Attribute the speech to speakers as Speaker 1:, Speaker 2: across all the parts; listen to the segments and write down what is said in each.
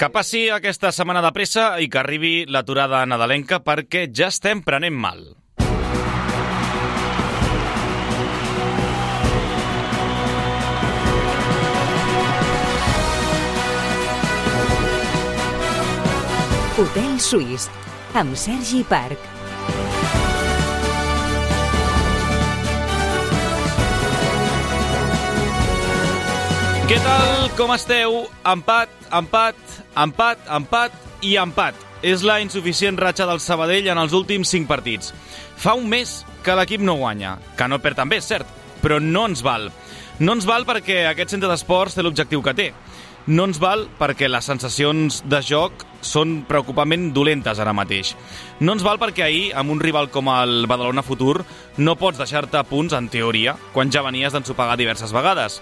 Speaker 1: Que passi aquesta setmana de pressa i que arribi l'aturada nadalenca perquè ja estem prenent mal.
Speaker 2: Hotel Suís, amb Sergi Parc.
Speaker 1: Què tal? Com esteu? Empat i empat. És la insuficient ratxa del Sabadell en els últims 5 partits. Fa un mes que l'equip no guanya, que no perd també, és cert, però no ens val. No ens val perquè aquest centre d'esports té l'objectiu que té. No ens val perquè les sensacions de joc són preocupament dolentes ara mateix. No ens val perquè ahir, amb un rival com el Badalona Futur, no pots deixar-te punts, en teoria, quan ja venies d'ensopegar diverses vegades.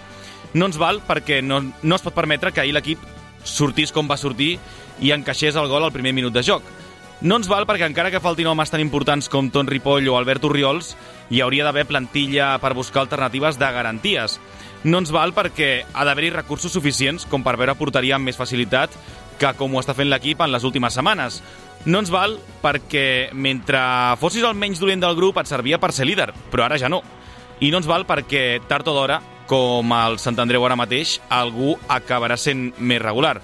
Speaker 1: No ens val perquè no es pot permetre que ahir l'equip sortís com va sortir i encaixés el gol al primer minut de joc. No ens val perquè encara que faltin homes tan importants com Ton Ripoll o Albert Orriols, hi hauria d'haver plantilla per buscar alternatives de garanties. No ens val perquè ha d'haver-hi recursos suficients com per veure porteria amb més facilitat que com ho està fent l'equip en les últimes setmanes. No ens val perquè mentre fossis el menys dolent del grup et servia per ser líder, però ara ja no. I no ens val perquè tard o d'hora, com el Sant Andreu ara mateix, algú acabarà sent més regular.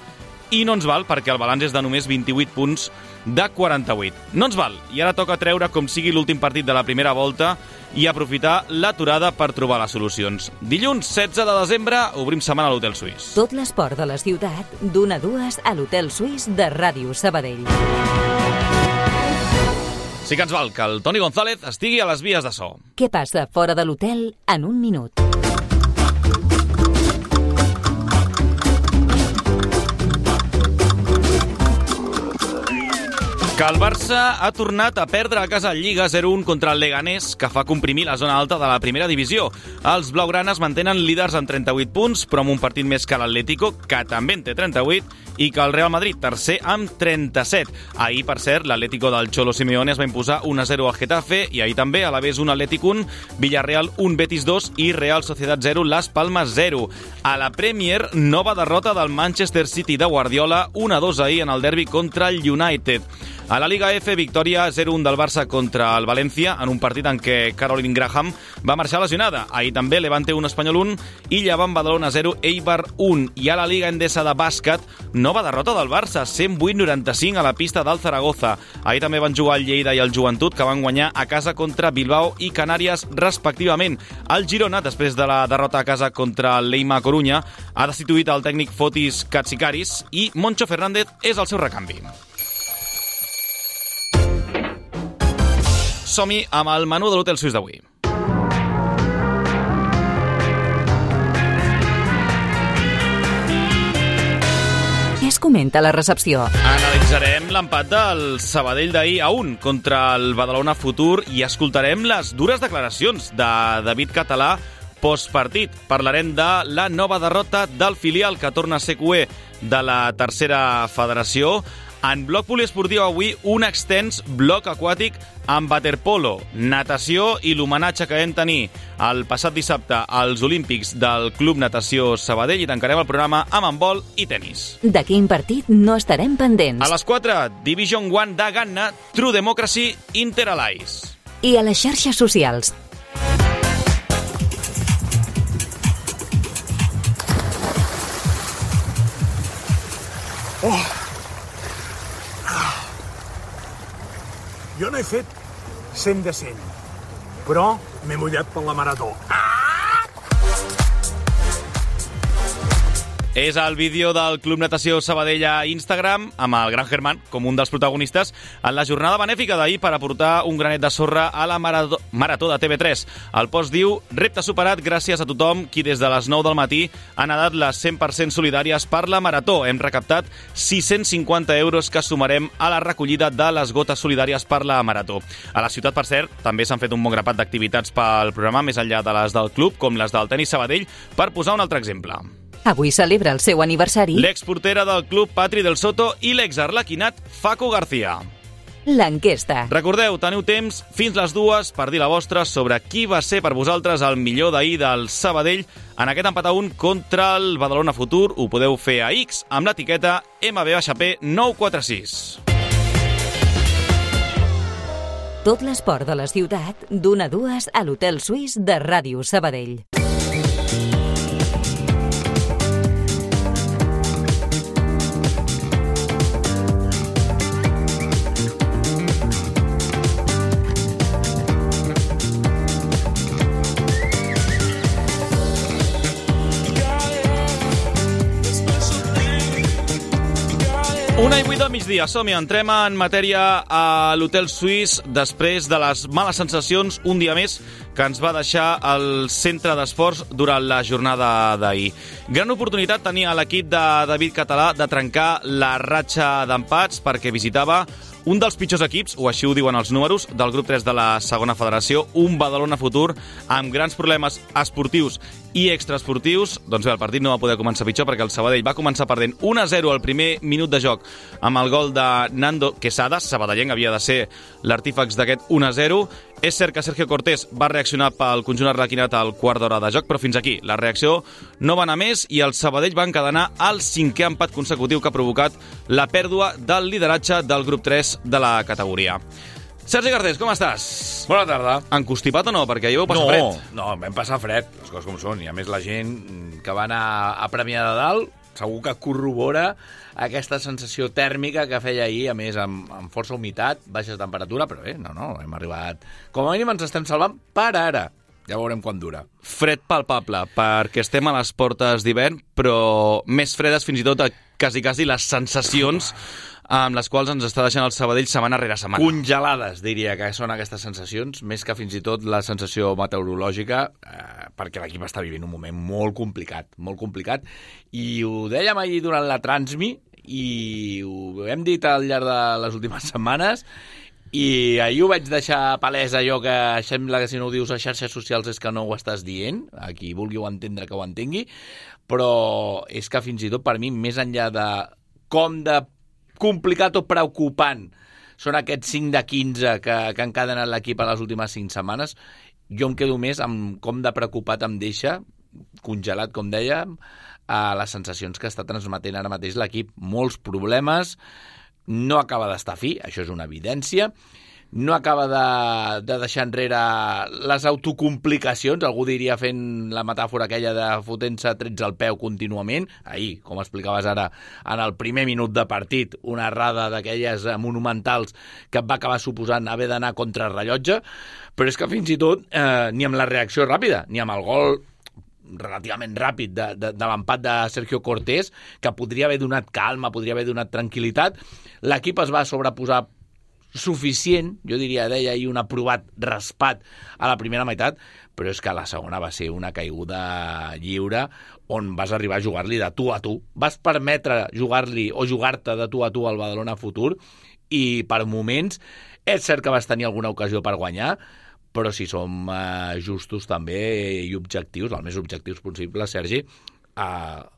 Speaker 1: I no ens val perquè el balanç és de només 28 punts de 48. No ens val, i ara toca treure com sigui l'últim partit de la primera volta i aprofitar l'aturada per trobar les solucions. Dilluns 16 de desembre obrim setmana a l'Hotel Suís.
Speaker 2: Tot l'esport de la ciutat, d'1 a 2 a l'Hotel Suís de Ràdio Sabadell.
Speaker 1: Sí que ens val que el Toni González estigui a les vies de so.
Speaker 2: Què passa fora de l'hotel en un minut?
Speaker 1: Que el Barça ha tornat a perdre a casa Lliga 0-1 contra el Leganés, que fa comprimir la zona alta de la primera divisió. Els blaugranes mantenen líders en 38 punts, però amb un partit més que l'Atlético, que també en té 38, i que el Real Madrid, tercer, amb 37. Ahir, per cert, l'Atlético del Cholo Simeone es va imposar 1-0 al Getafe, i ahir també, a l'Alavés 1, Atlètic 1, Villarreal 1, Betis 2 i Real Sociedad 0, Las Palmas 0. A la Premier, nova derrota del Manchester City de Guardiola, 1-2 ahir en el derbi contra el United. A la Liga F, victòria 0-1 del Barça contra el València, en un partit en què Caroline Graham va marxar lesionada. Ahir també Levante 1, Espanyol 1 i Llevant Badalona 0, Eibar 1. I a la Liga Endesa de bàsquet, nova derrota del Barça, 108-95 a la pista del Zaragoza. Ahir també van jugar el Lleida i el Joventut, que van guanyar a casa contra Bilbao i Canàries, respectivament. El Girona, després de la derrota a casa contra el Leima Corunya, ha destituït el tècnic Fotis Katsikaris i Moncho Fernández és el seu recanvi. Som-hi amb el menú de l'Hotel Suís d'avui.
Speaker 2: Què es comenta a la recepció?
Speaker 1: Analitzarem l'empat del Sabadell d'ahir a 1 contra el Badalona Futur i escoltarem les dures declaracions de David Català postpartit. Parlarem de la nova derrota del filial que torna a ser cuer de la tercera federació. En bloc poliesportiu avui, un extens bloc aquàtic amb waterpolo, natació i l'homenatge que vam tenir el passat dissabte als Olímpics del Club Natació Sabadell i tancarem el programa amb handbol i tenis.
Speaker 2: De quin partit no estarem pendents?
Speaker 1: A les 4, Division 1 de Ganna, True Democracy, Inter Allies.
Speaker 2: I a les xarxes socials.
Speaker 3: Jo no he fet 100 de 100, però m'he mullat per la marató.
Speaker 1: És el vídeo del Club Natació Sabadell a Instagram, amb el Gran Germán com un dels protagonistes, en la jornada benèfica d'ahir per aportar un granet de sorra a la marató de TV3. El post diu: repte superat gràcies a tothom qui des de les 9 del matí ha nedat les 100% solidàries per la marató. Hem recaptat 650 euros que sumarem a la recollida de les gotes solidàries per la marató. A la ciutat, per cert, també s'han fet un bon grapat d'activitats pel programa, més enllà de les del club, com les del tenis Sabadell, per posar un altre exemple.
Speaker 2: Avui celebra el seu aniversari
Speaker 1: l'exportera del club Patri del Soto i l'exarlequinat Facu García.
Speaker 2: l'enquesta.
Speaker 1: Recordeu, teniu temps fins les 2 per dir la vostra sobre qui va ser per vosaltres el millor d'ahir del Sabadell en aquest empat a 1 contra el Badalona Futur. Ho podeu fer a X amb l'etiqueta MB-P946.
Speaker 2: Tot l'esport de la ciutat, d'1 a 2 a l'Hotel Suís de Ràdio Sabadell.
Speaker 1: Una i 8 del migdia, som-hi, entrem en matèria a l'Hotel Suís després de les males sensacions un dia més que ens va deixar el centre d'esports durant la jornada d'ahir. Gran oportunitat tenia l'equip de David Català de trencar la ratxa d'empats perquè visitava un dels pitjors equips, o així ho diuen els números, del grup 3 de la segona federació, un Badalona Futur amb grans problemes esportius i extraesportius. Doncs bé, el partit no va poder començar pitjor perquè el Sabadell va començar perdent 1-0 al primer minut de joc amb el gol de Nando Quesada. Sabadellenc havia de ser l'artífex d'aquest 1-0. És cert que Sergio Cortés va reaccionar pel conjunt arlequinat al quart d'hora de joc, però fins aquí la reacció no va anar més i el Sabadell va encadenar el 5è empat consecutiu que ha provocat la pèrdua del lideratge del grup 3 de la categoria. Sergi Garcés, com estàs?
Speaker 4: Bona tarda.
Speaker 1: Encostipat o no? Perquè ahir vau passar fred.
Speaker 4: No, vam passar fred, les coses com són. I a més la gent que va anar a Premià de Dalt segur que corrobora aquesta sensació tèrmica que feia ahir, a més amb força humitat, baixa temperatura, però no, hem arribat... Com a mínim ens estem salvant per ara. Ja veurem quan dura.
Speaker 1: Fred palpable, perquè estem a les portes d'hivern, però més fredes fins i tot a quasi les sensacions amb les quals ens està deixant el Sabadell setmana rere setmana.
Speaker 4: Congelades, diria que són aquestes sensacions, més que fins i tot la sensació meteorològica, perquè l'equip està vivint un moment molt complicat, i ho dèiem ahir durant la Transmi, i ho hem dit al llarg de les últimes setmanes, i ahir ho vaig deixar palès allò que sembla que si no ho dius a xarxes socials és que no ho estàs dient, a qui vulgui ho entendre que ho entengui, però és que fins i tot per mi, més enllà de com de complicat o preocupant són aquests 5 de 15 que han encadenat l'equip a les últimes 5 setmanes, jo em quedo més amb com de preocupat em deixa, congelat com dèiem, a les sensacions que està transmetent ara mateix l'equip. Molts problemes, no acaba d'estar fi, això és una evidència, no acaba de deixar enrere les autocomplicacions, algú diria fent la metàfora aquella de fotent-se trets al peu contínuament. Ahir, com explicaves ara, en el primer minut de partit, una errada d'aquelles monumentals que et va acabar suposant haver d'anar contra el rellotge, però és que fins i tot ni amb la reacció ràpida, ni amb el gol relativament ràpid de l'empat de Sergio Cortés, que podria haver donat calma, podria haver donat tranquil·litat, l'equip es va sobreposar suficient, jo diria, deia ahir un aprovat raspat a la primera meitat, però és que la segona va ser una caiguda lliure on vas arribar a jugar-li de tu a tu. Vas permetre jugar-li o jugar-te de tu a tu al Badalona Futur i per moments és cert que vas tenir alguna ocasió per guanyar, però si som justos també i objectius, el més objectius possible, Sergi,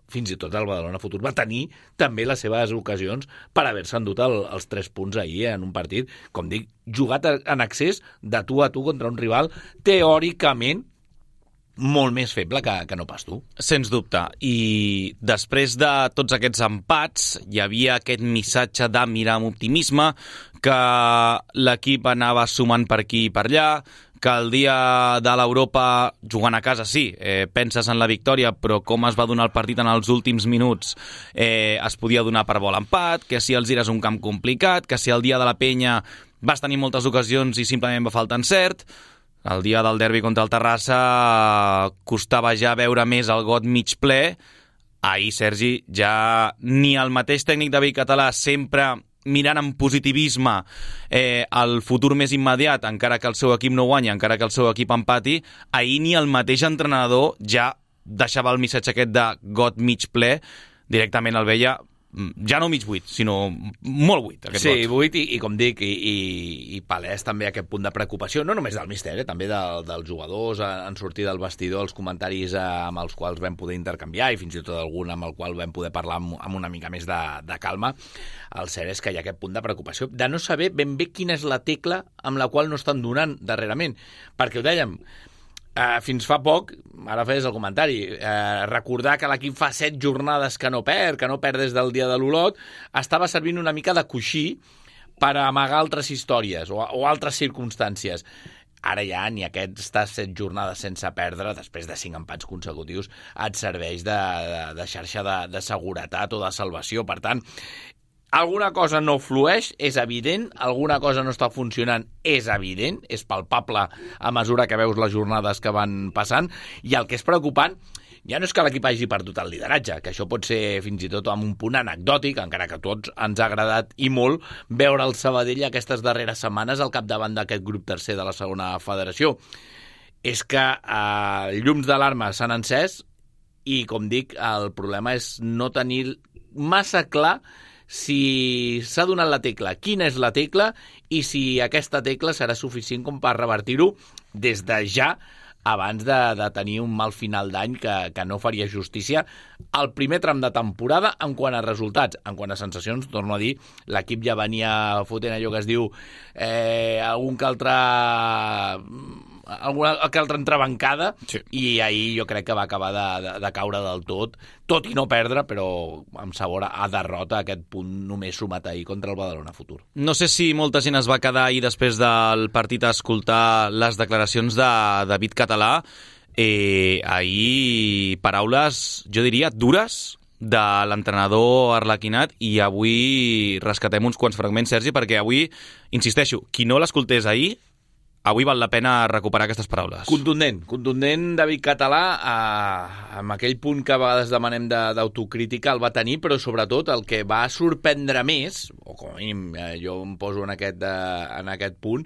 Speaker 4: fins i tot el Badalona Futur va tenir també les seves ocasions per haver-se endut els 3 punts ahir en un partit, com dic, jugat en accés de tu a tu contra un rival teòricament molt més feble que no pas tu.
Speaker 1: Sens dubte. I després de tots aquests empats hi havia aquest missatge de mirar amb optimisme, que l'equip anava sumant per aquí i per allà, que el dia de l'Europa, jugant a casa, sí, penses en la victòria, però com es va donar el partit en els últims minuts es podia donar per bo l'empat, que si el Gira és un camp complicat, que si el dia de la Penya vas tenir moltes ocasions i simplement va faltar encert, el dia del derbi contra el Terrassa costava ja veure més el got mig ple. Ahir, Sergi, ja ni el mateix tècnic David Català, sempre mirant amb positivisme el futur més immediat, encara que el seu equip no guanya, encara que el seu equip empati, ahir ni el mateix entrenador ja deixava el missatge aquest de got mig ple, directament el veia ja no mig buit, sinó molt buit, aquest
Speaker 4: Sí,
Speaker 1: lot.
Speaker 4: buit i com dic, i palès també aquest punt de preocupació, no només del míster, també dels jugadors en sortir del vestidor, els comentaris amb els quals vam poder intercanviar i fins i tot algun amb el qual vam poder parlar amb una mica més de calma. El cert és que hi ha aquest punt de preocupació de no saber ben bé quina és la tecla amb la qual no estan donant darrerament, perquè ho dèiem, fins fa poc, ara feies el comentari, recordar que l'equip fa 7 jornades que no perd des del dia de l'Olot, estava servint una mica de coixí per amagar altres històries o altres circumstàncies. Ara ja ni aquestes 7 jornades sense perdre, després de 5 empats consecutius, et serveix de xarxa de seguretat o de salvació. Per tant, alguna cosa no flueix, és evident, alguna cosa no està funcionant, és evident, és palpable a mesura que veus les jornades que van passant, i el que és preocupant ja no és que l'equip hagi perdut el lideratge, que això pot ser fins i tot amb un punt anecdòtic, encara que a tots ens ha agradat i molt veure el Sabadell aquestes darreres setmanes al capdavant d'aquest grup tercer de la segona federació. És que llums d'alarma s'han encès i, com dic, el problema és no tenir massa clar si s'ha donat la tecla, quina és la tecla i si aquesta tecla serà suficient com per revertir-ho des de ja abans de tenir un mal final d'any que no faria justícia al primer tram de temporada en quant a resultats. En quant a sensacions, torno a dir, l'equip ja venia fotent allò que es diu alguna altra entrebancada, sí. I ahir jo crec que va acabar de caure del tot i no perdre, però amb sabor a derrota, aquest punt només sumat ahir contra el Badalona Futur.
Speaker 1: No sé si molta gent es va quedar ahir després del partit a escoltar les declaracions de David Català. Ahir paraules, jo diria, dures de l'entrenador arlequinat, i avui rescatem uns quants fragments, Sergi, perquè avui, insisteixo, qui no l'escoltés ahir, avui val la pena recuperar aquestes paraules. Contundent David Català, amb aquell punt que a vegades demanem d'autocrítica el va tenir, però sobretot el que va sorprendre més, o com a mínim jo em poso en aquest punt,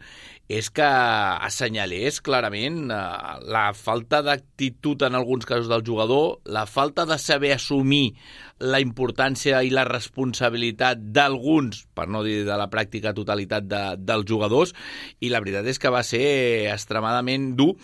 Speaker 1: és que assenyalés clarament la falta d'actitud en alguns casos del jugador, la falta de saber assumir la importància i la responsabilitat d'alguns, per no dir de la pràctica totalitat dels jugadors, i la veritat és que va ser extremadament dur.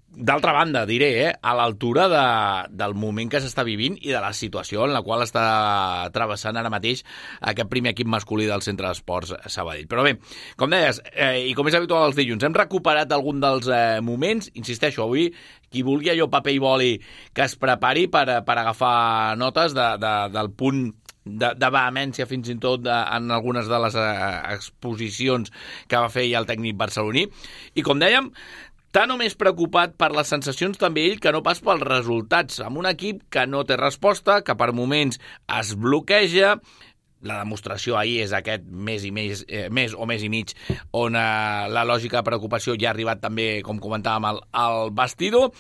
Speaker 1: D'altra banda, diré, a l'altura del moment que s'està vivint i de la situació en la qual està travessant ara mateix aquest primer equip masculí del Centre d'Esports Sabadell. Però bé, com deies, i com és habitual els dilluns, hem recuperat algun dels moments. Insisteixo, avui, qui vulgui allò paper i boli que es prepari per agafar notes del punt de vehemència fins i tot en algunes de les exposicions que va fer ja el tècnic barceloní. I com dèiem, tant o més preocupat per les sensacions també ell que no pas pels resultats, amb un equip que no té resposta, que per moments es bloqueja. La demostració ahir és aquest mes i mig on la lògica de preocupació ja ha arribat també, com comentàvem, al vestidor.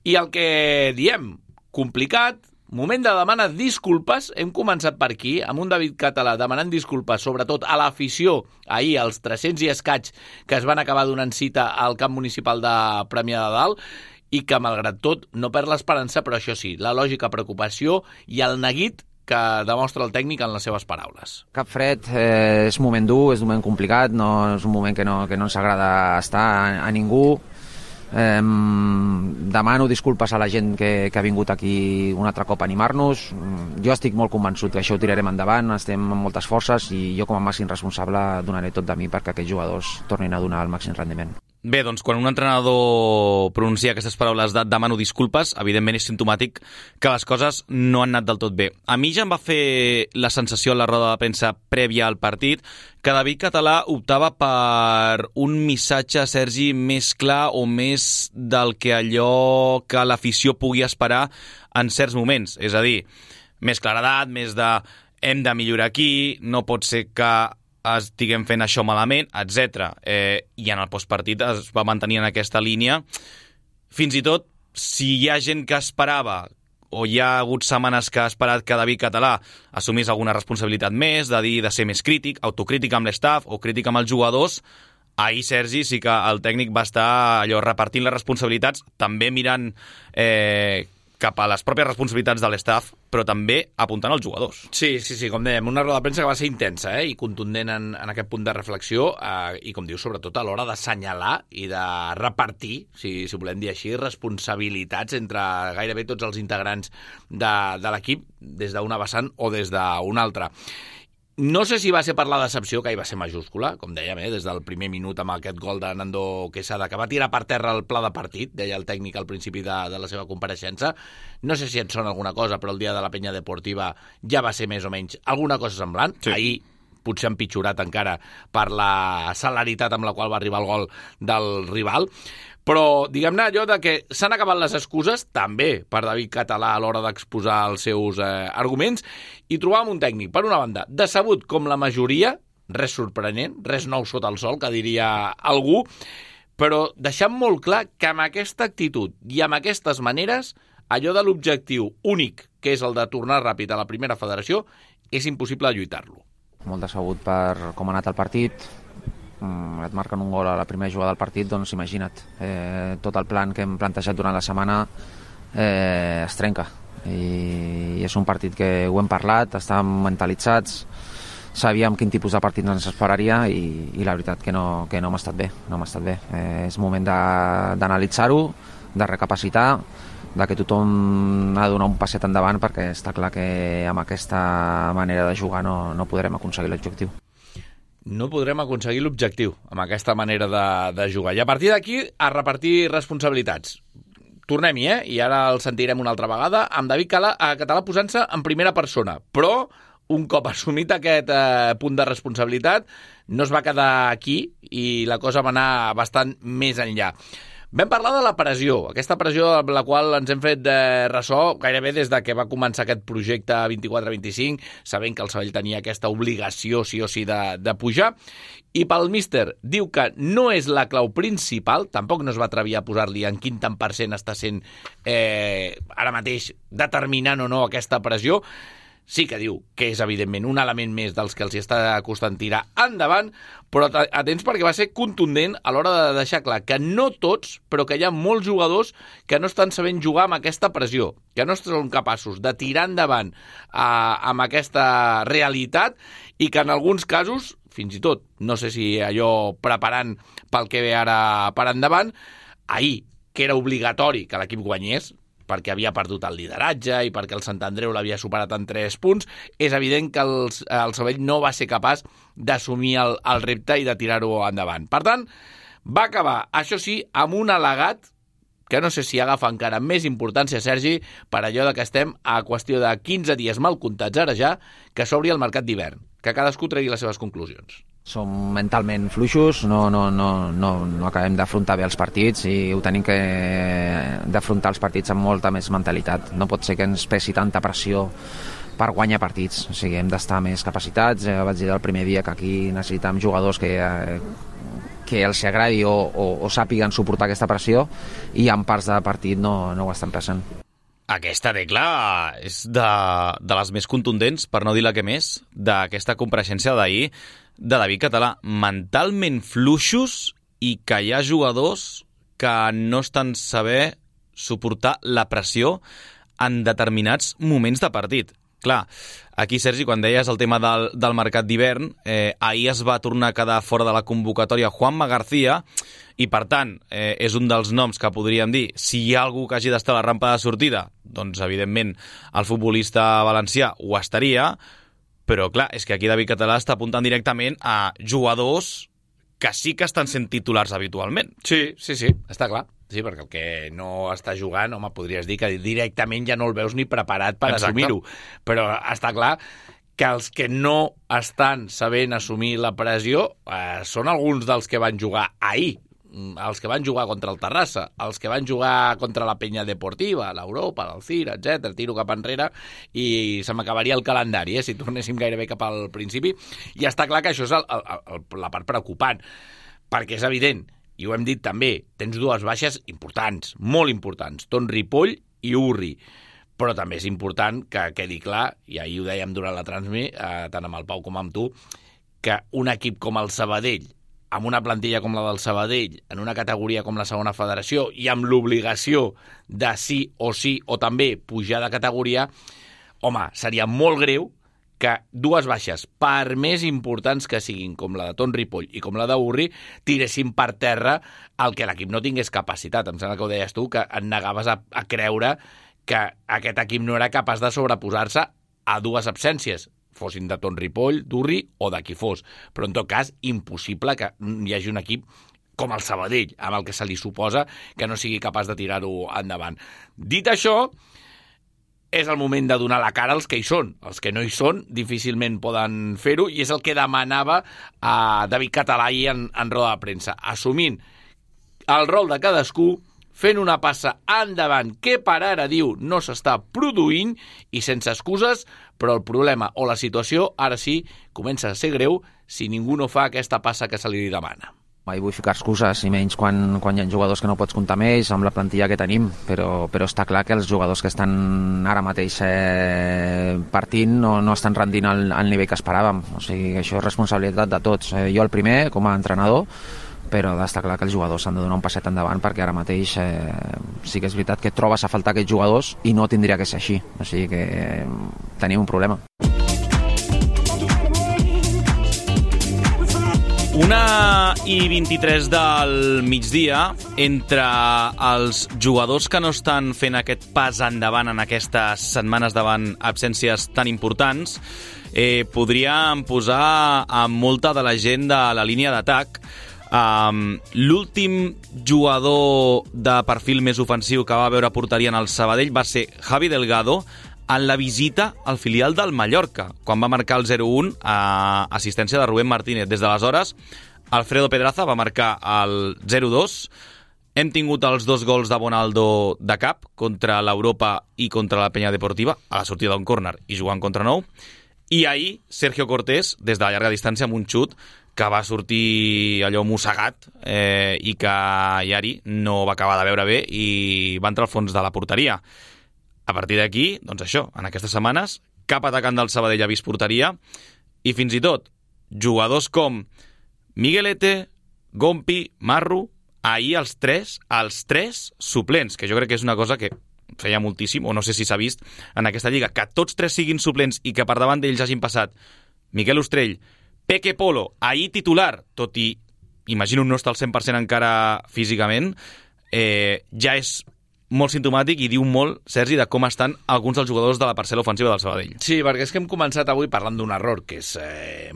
Speaker 1: I el que diem, complicat, moment de demanar disculpes. Hem començat per aquí, amb un David Català demanant disculpes, sobretot a l'afició, ahir, als 300 i escaig que es van acabar donant cita al camp municipal de Premià de Dalt, i que, malgrat tot, no perd l'esperança, però això sí, la lògica preocupació i el neguit que demostra el tècnic en les seves paraules.
Speaker 5: Cap fred, és un moment dur, és un moment complicat, no és un moment que no ens agrada estar a ningú. Demano disculpes a la gent que ha vingut aquí un altre cop a animar-nos. Jo estic molt convençut que això ho tirarem endavant, estem amb moltes forces i jo com a màxim responsable donaré tot de mi perquè aquests jugadors tornin a donar el màxim rendiment.
Speaker 1: Bé, doncs quan un entrenador pronuncia aquestes paraules de demano disculpes, evidentment és simptomàtic que les coses no han anat del tot bé. A mi ja em va fer la sensació a la roda de premsa prèvia al partit que David Català optava per un missatge, Sergi, més clar o més del que allò que l'afició pugui esperar en certs moments. És a dir, més claredat, més de hem de millorar aquí, no pot ser que estiguem fent això malament, etc. I en el postpartit es va mantenir en aquesta línia. Fins i tot, si hi ha gent que esperava, o hi ha hagut setmanes que ha esperat que David Català assumís alguna responsabilitat més, de dir de ser més crític, autocrític amb l'estaff o crític amb els jugadors, ahir, Sergi, sí que el tècnic va estar allò repartint les responsabilitats, també mirant cap a les pròpies responsabilitats de l'estaff, però també apuntant als jugadors.
Speaker 4: Sí, com dèiem, una roda de premsa que va ser intensa i contundent en aquest punt de reflexió i, com dius, sobretot a l'hora d'assenyalar i de repartir, si volem dir així, responsabilitats entre gairebé tots els integrants de l'equip, des d'una vessant o des d'una altra. No sé si va ser per la decepció, que hi va ser majúscula, com dèiem, des del primer minut amb aquest gol de Nando Quesada, que va tirar per terra el pla de partit, deia el tècnic al principi de la seva compareixença. No sé si et sona alguna cosa, però el dia de la penya deportiva ja va ser més o menys alguna cosa semblant. Sí. Ahir potser empitjorat encara per la celeritat amb la qual va arribar el gol del rival. Però, diguem-ne, allò de que s'han acabat les excuses, també per David Català a l'hora d'exposar els seus arguments, i trobàvem un tècnic, per una banda, decebut com la majoria, res sorprenent, res nou sota el sol, que diria algú, però deixant molt clar que amb aquesta actitud i amb aquestes maneres, allò de l'objectiu únic, que és el de tornar ràpid a la primera federació, és impossible lluitar-lo.
Speaker 5: Molt decebut per com ha anat el partit. Et marquen un gol a la primera jugada del partit, doncs imagina't, tot el plan que hem plantejat durant la setmana es trenca, i és un partit que ho hem parlat, estàvem mentalitzats, sabíem quin tipus de partit ens esperaria i la veritat que no m'ha estat bé, és moment d'analitzar-ho, de recapacitar, de que tothom ha de donar un passet endavant, perquè està clar que amb aquesta manera de jugar no podrem aconseguir l'objectiu.
Speaker 4: No podrem aconseguir l'objectiu amb aquesta manera de jugar. I a partir d'aquí, a repartir responsabilitats. Tornem-hi, i ara el sentirem una altra vegada, amb David Català posant-se en primera persona. Però, un cop assumit aquest punt de responsabilitat, no es va quedar aquí i la cosa va anar bastant més enllà. Vam parlar de la pressió, aquesta pressió amb la qual ens hem fet ressò gairebé des de que va començar aquest projecte 24-25, sabent que el Sabadell tenia aquesta obligació sí o sí de pujar, i pel míster diu que no és la clau principal, tampoc no es va atrevir a posar-li en quin tant % està sent ara mateix determinant o no aquesta pressió. Sí que diu que és, evidentment, un element més dels que els hi està costant tirar endavant, però atents perquè va ser contundent a l'hora de deixar clar que no tots, però que hi ha molts jugadors que no estan sabent jugar amb aquesta pressió, que no són capaços de tirar endavant amb aquesta realitat i que en alguns casos, fins i tot, no sé si allò preparant pel que ve ara per endavant, ahir, que era obligatori que l'equip guanyés, perquè havia perdut el lideratge i perquè el Sant Andreu l'havia superat en 3 punts, és evident que el Sabadell no va ser capaç d'assumir el repte i de tirar-ho endavant. Per tant, va acabar, això sí, amb un al·legat que no sé si agafa encara més importància, Sergi, per allò de que estem a qüestió de 15 dies mal comptats ara ja, que s'obri el mercat d'hivern, que cadascú tregui les seves conclusions.
Speaker 5: Som mentalment fluixos, no acabem d'afrontar bé els partits i ho tenim que d'afrontar els partits amb molta més mentalitat. No pot ser que ens pesi tanta pressió per guanyar partits. O sigui, hem d'estar més capacitats. Vaig dir el primer dia que aquí necessitem jugadors que els agradi o sàpiguen suportar aquesta pressió, i en parts de partit no ho estan passant.
Speaker 1: Aquesta decla és de les més contundents, per no dir la que més, d'aquesta compareixença d'ahir de David Català. Mentalment fluixos i que hi ha jugadors que no estan saber suportar la pressió en determinats moments de partit. Clar, aquí, Sergi, quan deies el tema del mercat d'hivern, ahir es va tornar a quedar fora de la convocatòria Juanma García, i per tant és un dels noms que podríem dir, si hi ha algú que hagi d'estar a la rampa de sortida, doncs evidentment el futbolista valencià ho estaria, però clar, és que aquí David Català està apuntant directament a jugadors que sí que estan sent titulars habitualment.
Speaker 4: Sí, està clar. Sí, perquè el que no està jugant, home, podries dir que directament ja no el veus ni preparat per assumir-ho. Però està clar que els que no estan sabent assumir la pressió són alguns dels que van jugar ahir, els que van jugar contra el Terrassa, els que van jugar contra la Penya Deportiva, l'Europa, l'Alcira, etc. Tiro cap enrere i se m'acabaria el calendari, si tornéssim gairebé cap al principi. I està clar que això és la part preocupant, perquè és evident, i ho hem dit també, tens 2 baixes importants, molt importants, Ton Ripoll i Urri. Però també és important que quedi clar, i ahir ho dèiem durant la transmi, tant amb el Pau com amb tu, que un equip com el Sabadell, amb una plantilla com la del Sabadell, en una categoria com la segona federació i amb l'obligació de sí o també pujar de categoria, home, seria molt greu que dues baixes, per més importants que siguin, com la de Ton Ripoll i com la d'Urri, tiressin per terra el que l'equip no tingués capacitat. Em sembla que ho deies tu, que et negaves a creure que aquest equip no era capaç de sobreposar-se a dues absències, fossin de Ton Ripoll, d'Urri o de qui fos. Però, en tot cas, impossible que hi hagi un equip com el Sabadell, amb el que se li suposa, que no sigui capaç de tirar-ho endavant. Dit això, és el moment de donar la cara als que hi són. Els que no hi són difícilment poden fer-ho, i és el que demanava a David Català ahir en roda de premsa, assumint el rol de cadascú, fent una passa endavant que per ara, diu, no s'està produint i sense excuses, però el problema o la situació ara sí comença a ser greu si ningú no fa aquesta passa que se li demana.
Speaker 5: Mai vull ficar excuses, i menys quan hi ha jugadors que no pots comptar amb ells, amb la plantilla que tenim, però està clar que els jugadors que estan ara mateix partint no estan rendint al nivell que esperàvem. O sigui, això és responsabilitat de tots. Jo el primer, com a entrenador, però està clar que els jugadors s'han de donar un passet endavant, perquè ara mateix sí que és veritat que trobes a faltar aquests jugadors i no tindria que ser així. O sigui que tenim un problema.
Speaker 1: 1:23 del migdia. Entre els jugadors que no estan fent aquest pas endavant en aquestes setmanes davant absències tan importants, podríem posar amb molta de la gent de la línia d'atac. L'últim jugador de perfil més ofensiu que va veure porteria en el Sabadell va ser Javi Delgado, en la visita al filial del Mallorca, quan va marcar el 0-1 a assistència de Rubén Martínez. Des d'aleshores, Alfredo Pedraza va marcar el 0-2. Hem tingut els 2 gols de Bonaldo de cap, contra l'Europa i contra la Penya Deportiva, a la sortida d'un córner i jugant contra nou. I ahir, Sergio Cortés, des de la llarga distància, amb un xut que va sortir allò mossegat i que Yari no va acabar de veure bé i va entrar al fons de la porteria. A partir d'aquí, doncs això, en aquestes setmanes, cap atacant del Sabadell ha vist porteria, i fins i tot jugadors com Miguelete, Gompi, Marru, ahir els tres suplents, que jo crec que és una cosa que feia moltíssim, o no sé si s'ha vist en aquesta lliga, que tots 3 siguin suplents i que per davant d'ells hagin passat Miquel Ostrell, Peque Polo, ahir titular, tot i, imagino, no està al 100% encara físicament, ja és molt simptomàtic i diu molt, Sergi, de com estan alguns dels jugadors de la parcel·la ofensiva del Sabadell.
Speaker 4: Sí, perquè és que hem començat avui parlant d'un error que és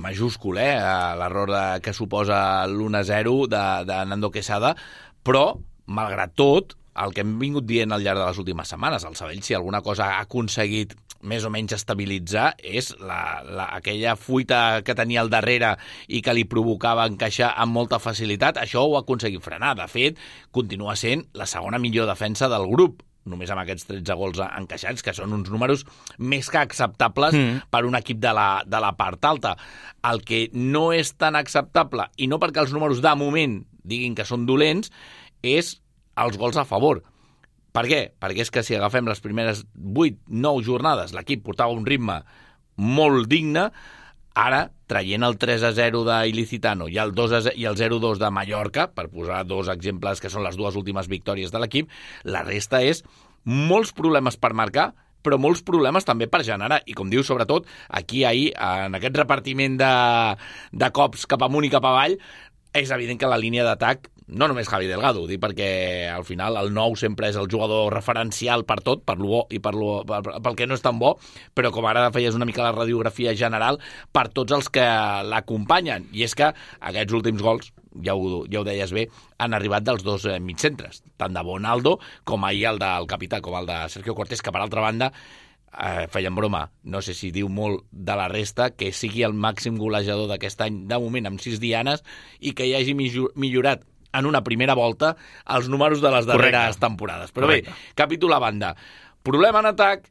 Speaker 4: majúscul, l'error que suposa l'1-0 de Nando Quesada, però, malgrat tot, el que hem vingut dient al llarg de les últimes setmanes, el Sabadell, si alguna cosa ha aconseguit més o menys estabilitzar, és aquella fuita que tenia al darrere i que li provocava encaixar amb molta facilitat. Això ho ha aconseguit frenar. De fet, continua sent la segona millor defensa del grup, només amb aquests 13 gols encaixats, que són uns números més que acceptables per un equip de la part alta. El que no és tan acceptable, i no perquè els números de moment diguin que són dolents, és els gols a favor. Per què? Perquè és que si agafem les primeres 8-9 jornades, l'equip portava un ritme molt digne. Ara, traient el 3-0 d'Ilicitano i el 0-2 de Mallorca, per posar 2 exemples que són les 2 últimes victòries de l'equip, la resta és molts problemes per marcar, però molts problemes també per generar. I com diu, sobretot, aquí ahir, en aquest repartiment de cops cap amunt i cap avall, és evident que la línia d'atac, no només Javi Delgado, ho dic perquè al final el 9 sempre és el jugador referencial per tot, per lo bo i pel que no és tan bo, però com ara feies una mica la radiografia general per tots els que l'acompanyen. I és que aquests últims gols, ja ho deies bé, han arribat dels 2 mitcentres, tant de Bonaldo com ahir el del capità, com el de Sergio Cortés, que per altra banda feien broma, no sé si diu molt de la resta, que sigui el màxim golejador d'aquest any, de moment amb 6 dianes, i que hi hagi millorat en una primera volta els números de les darreres temporades. Però bé, capítol a banda. Problema en atac,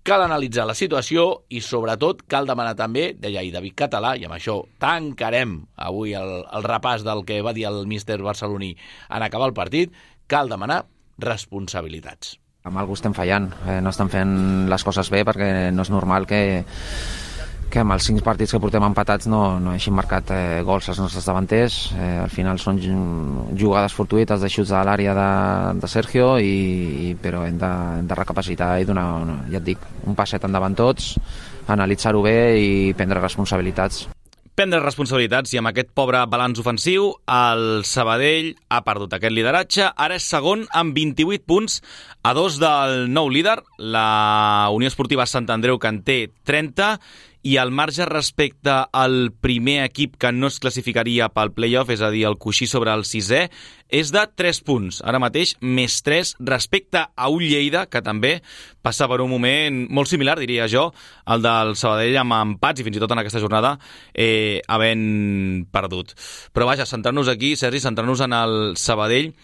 Speaker 4: cal analitzar la situació i, sobretot, cal demanar també, deia ahir David Català, i amb això tancarem avui el repàs del que va dir el míster barceloní en acabar el partit, cal demanar responsabilitats.
Speaker 5: Amb algú estem fallant, no estem fent les coses bé, perquè no és normal que que amb els 5 partits que portem empatats no hagin marcat gols als nostres davanters. Al final són jugades fortuïtes de xuts a l'àrea de Sergio, però hem de recapacitar i donar, ja et dic, un passet endavant tots, analitzar-ho bé i prendre responsabilitats.
Speaker 1: Prendre responsabilitats, i amb aquest pobre balanç ofensiu el Sabadell ha perdut aquest lideratge. Ara és segon amb 28 punts, a 2 del nou líder, la Unió Esportiva Sant Andreu, que en té 30, i el marge respecte al primer equip que no es classificaria pel play-off, és a dir, el coixí sobre el 6è, és de 3 punts. Ara mateix, més 3 respecte a un Lleida, que també passa per un moment molt similar, diria jo, al del Sabadell, amb empats, i fins i tot en aquesta jornada havent perdut. Però vaja, centrar-nos aquí, Sergi, centrar-nos en el Sabadell.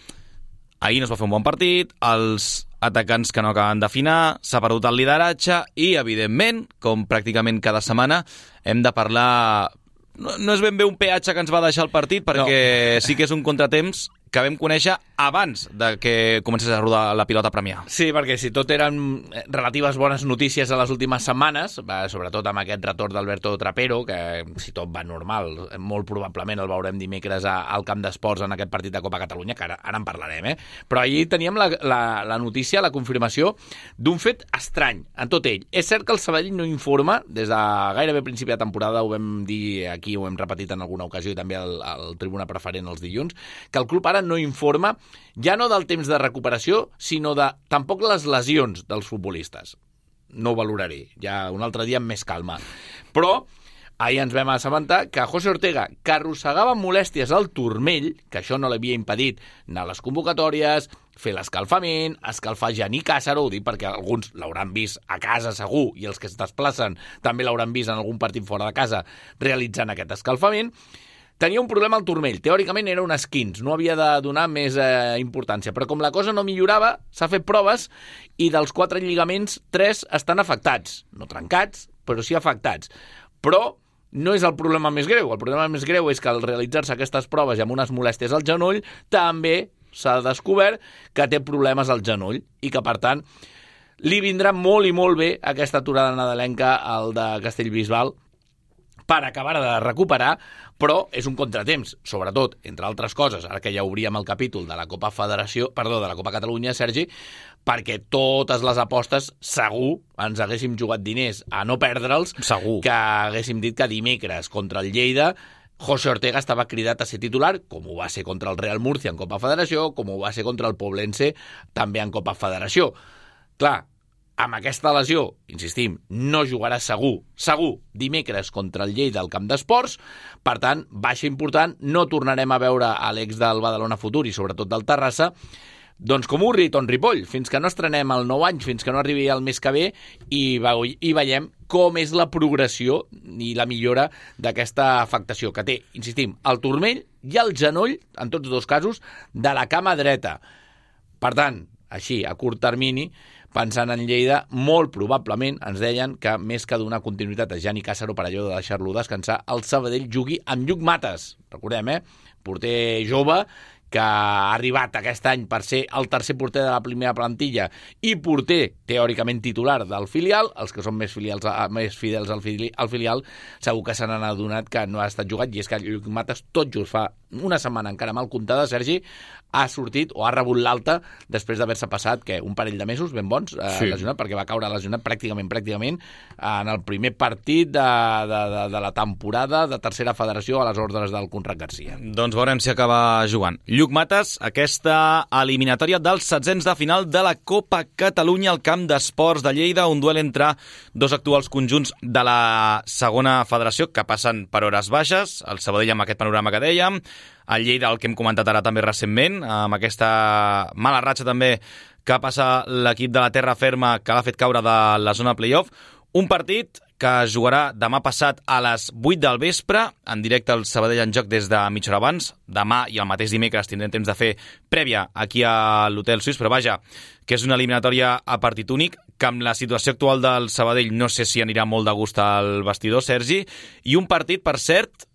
Speaker 1: Ahir no es va fer un bon partit, els atacants que no acaben d'afinar, s'ha perdut el lideratge i, evidentment, com pràcticament cada setmana, hem de parlar... No és ben bé un peatge que ens va deixar el partit, perquè sí que és un contratemps que vam conèixer abans de que comencés a rodar la pilota a Premià.
Speaker 4: Sí, perquè si tot eren relatives bones notícies a les últimes setmanes, sobretot amb aquest retorn d'Alberto Trapero, que si tot va normal, molt probablement el veurem dimecres al Camp d'Esports en aquest partit de Copa Catalunya, que ara en parlarem, Però ahir teníem la notícia, la confirmació d'un fet estrany en tot ell. És cert que el Sabadell no informa, des de gairebé principi de temporada, ho vam dir aquí, ho hem repetit en alguna ocasió i també al Tribuna Preferent els dilluns, que el club ara no informa ja no del temps de recuperació, sinó de tampoc les lesions dels futbolistes. No ho valoraré, ja un altre dia amb més calma. Però ahir ens vam assabentar que José Ortega, que arrossegava molèsties al turmell, que això no l'havia impedit anar a les convocatòries, fer l'escalfament, escalfar Gianni Càssaro, ho dic perquè alguns l'hauran vist a casa segur, i els que es desplacen també l'hauran vist en algun partit fora de casa realitzant aquest escalfament. Tenia un problema al turmell. Teòricament era un esquins, no havia de donar més importància. Però com la cosa no millorava, s'ha fet proves i dels 4 lligaments, 3 estan afectats. No trencats, però sí afectats. Però no és el problema més greu. El problema més greu és que al realitzar-se aquestes proves i amb unes molèsties al genoll, també s'ha descobert que té problemes al genoll i que, per tant, li vindrà molt i molt bé aquesta aturada nadalenca al de Castellbisbal per acabar de recuperar, però és un contratemps, sobretot, entre altres coses, ara que ja obríem el capítol de la Copa Catalunya, Sergi, perquè totes les apostes segur ens haguéssim jugat diners a no perdre'ls,
Speaker 1: segur
Speaker 4: que haguéssim dit que dimecres contra el Lleida José Ortega estava cridat a ser titular, com ho va ser contra el Real Murcia en Copa Federació, com ho va ser contra el Poblense també en Copa Federació. Clar, amb aquesta lesió, insistim, no jugarà segur, dimecres contra el Lleida al Camp d'Esports. Per tant, baixa important, no tornarem a veure a l'ex del Badalona Futur i sobretot del Terrassa, doncs com Urri i Ton Ripoll, fins que no estrenem el nou any, fins que no arribi el mes que ve i veiem com és la progressió i la millora d'aquesta afectació que té, insistim, el turmell i el genoll, en tots dos casos, de la cama dreta. Per tant, així, a curt termini, pensant en Lleida, molt probablement ens deien que més que donar continuïtat a Gianni Càssaro per allò de deixar-lo descansar, el Sabadell jugui amb Lluc Mates. Recordem, porter jove que ha arribat aquest any per ser el tercer porter de la primera plantilla i porter, teòricament, titular del filial. Els que són més fidels al filial segur que se n'han adonat que no ha estat jugat, i és que Lluc Mates tot just fa una setmana encara mal comptada, Sergi, ha sortit o ha rebut l'alta després d'haver-se passat un parell de mesos ben bons lesionat, perquè va caure lesionat pràcticament en el primer partit de la temporada de tercera federació a les ordres del Conrad Garcia.
Speaker 1: Doncs veurem si acaba jugant Lluc Mates aquesta eliminatòria dels setzents de final de la Copa Catalunya al Camp d'Esports de Lleida, un duel entre dos actuals conjunts de la segona federació que passen per hores baixes, el Sabadell amb aquest panorama que dèiem, el Lleida, el que hem comentat ara també recentment, amb aquesta mala ratxa també que passa l'equip de la terra ferma que l'ha fet caure de la zona playoff. Un partit que es jugarà demà passat a les 8 del vespre, en directe al Sabadell en joc des de mitja hora abans. Demà i el mateix dimecres tindrem temps de fer prèvia aquí a l'Hotel Suís, però vaja, que és una eliminatòria a partit únic, que amb la situació actual del Sabadell no sé si anirà molt de gust al vestidor, Sergi, i un partit, per cert,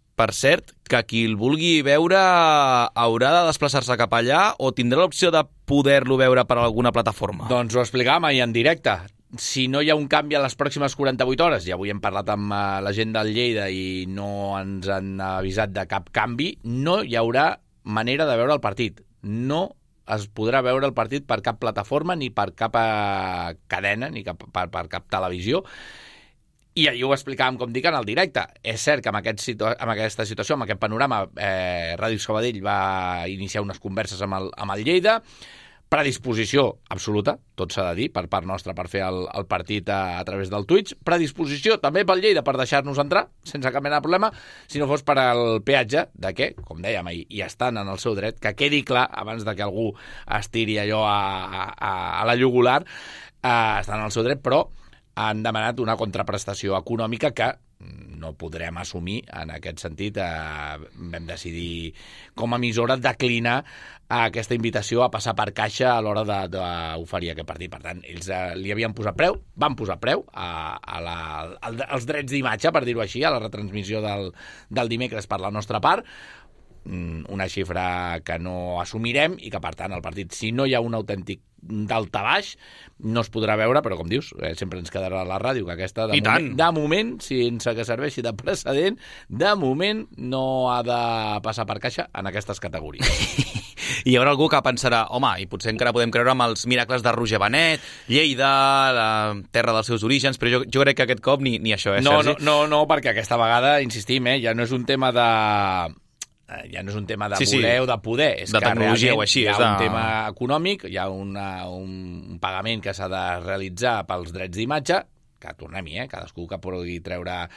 Speaker 1: que qui el vulgui veure haurà de desplaçar-se cap allà o tindrà l'opció de poder-lo veure per alguna plataforma?
Speaker 4: Doncs ho explicàvem ahir en directe. si no hi ha un canvi a les pròximes 48 hores, i avui hem parlat amb la gent del Lleida i no ens han avisat de cap canvi, no hi haurà manera de veure el partit. No es podrà veure el partit per cap plataforma, ni per cap cadena, ni per cap televisió. I ahir ho explicàvem, com dic, en el directe. És cert que amb aquesta situació, amb aquest panorama, Ràdio Sabadell va iniciar unes converses amb el Lleida. Predisposició absoluta, tot s'ha de dir, per part nostra per fer el partit a través del Twitch. Predisposició també pel Lleida per deixar-nos entrar, sense cap mena de problema, si no fos per al peatge de què, com dèiem ahir, i estan en el seu dret, que quedi clar, abans de que algú es tiri allò a la jugular, estan en el seu dret, però han demanat una contraprestació econòmica que no podrem assumir. En aquest sentit, vam decidir com a emissora declinar aquesta invitació a passar per caixa a l'hora d'oferir aquest partit. Per tant, ells li havien posat preu, van posar preu als drets d'imatge, per dir-ho així, a la retransmissió del dimecres per la nostra part, una xifra que no assumirem i que, per tant, el partit, si no hi ha un autèntic daltabaix, no es podrà veure, però, com dius, sempre ens quedarà a la ràdio, que aquesta, de moment, sense que serveixi de precedent, de moment no ha de passar per caixa en aquestes categories.
Speaker 1: I hi haurà algú que pensarà, home, i potser encara podem creure amb els miracles de Roger Benet, Lleida, la terra dels seus orígens, però jo crec que aquest cop ni això, Sergi?
Speaker 4: No, perquè aquesta vegada, insistim, ja no és un tema de voler o de poder, és
Speaker 1: de
Speaker 4: que
Speaker 1: tecnologia
Speaker 4: realment
Speaker 1: o així,
Speaker 4: hi ha un tema econòmic, hi ha un pagament que s'ha de realitzar pels drets d'imatge, que tornem-hi, cadascú que pugui treure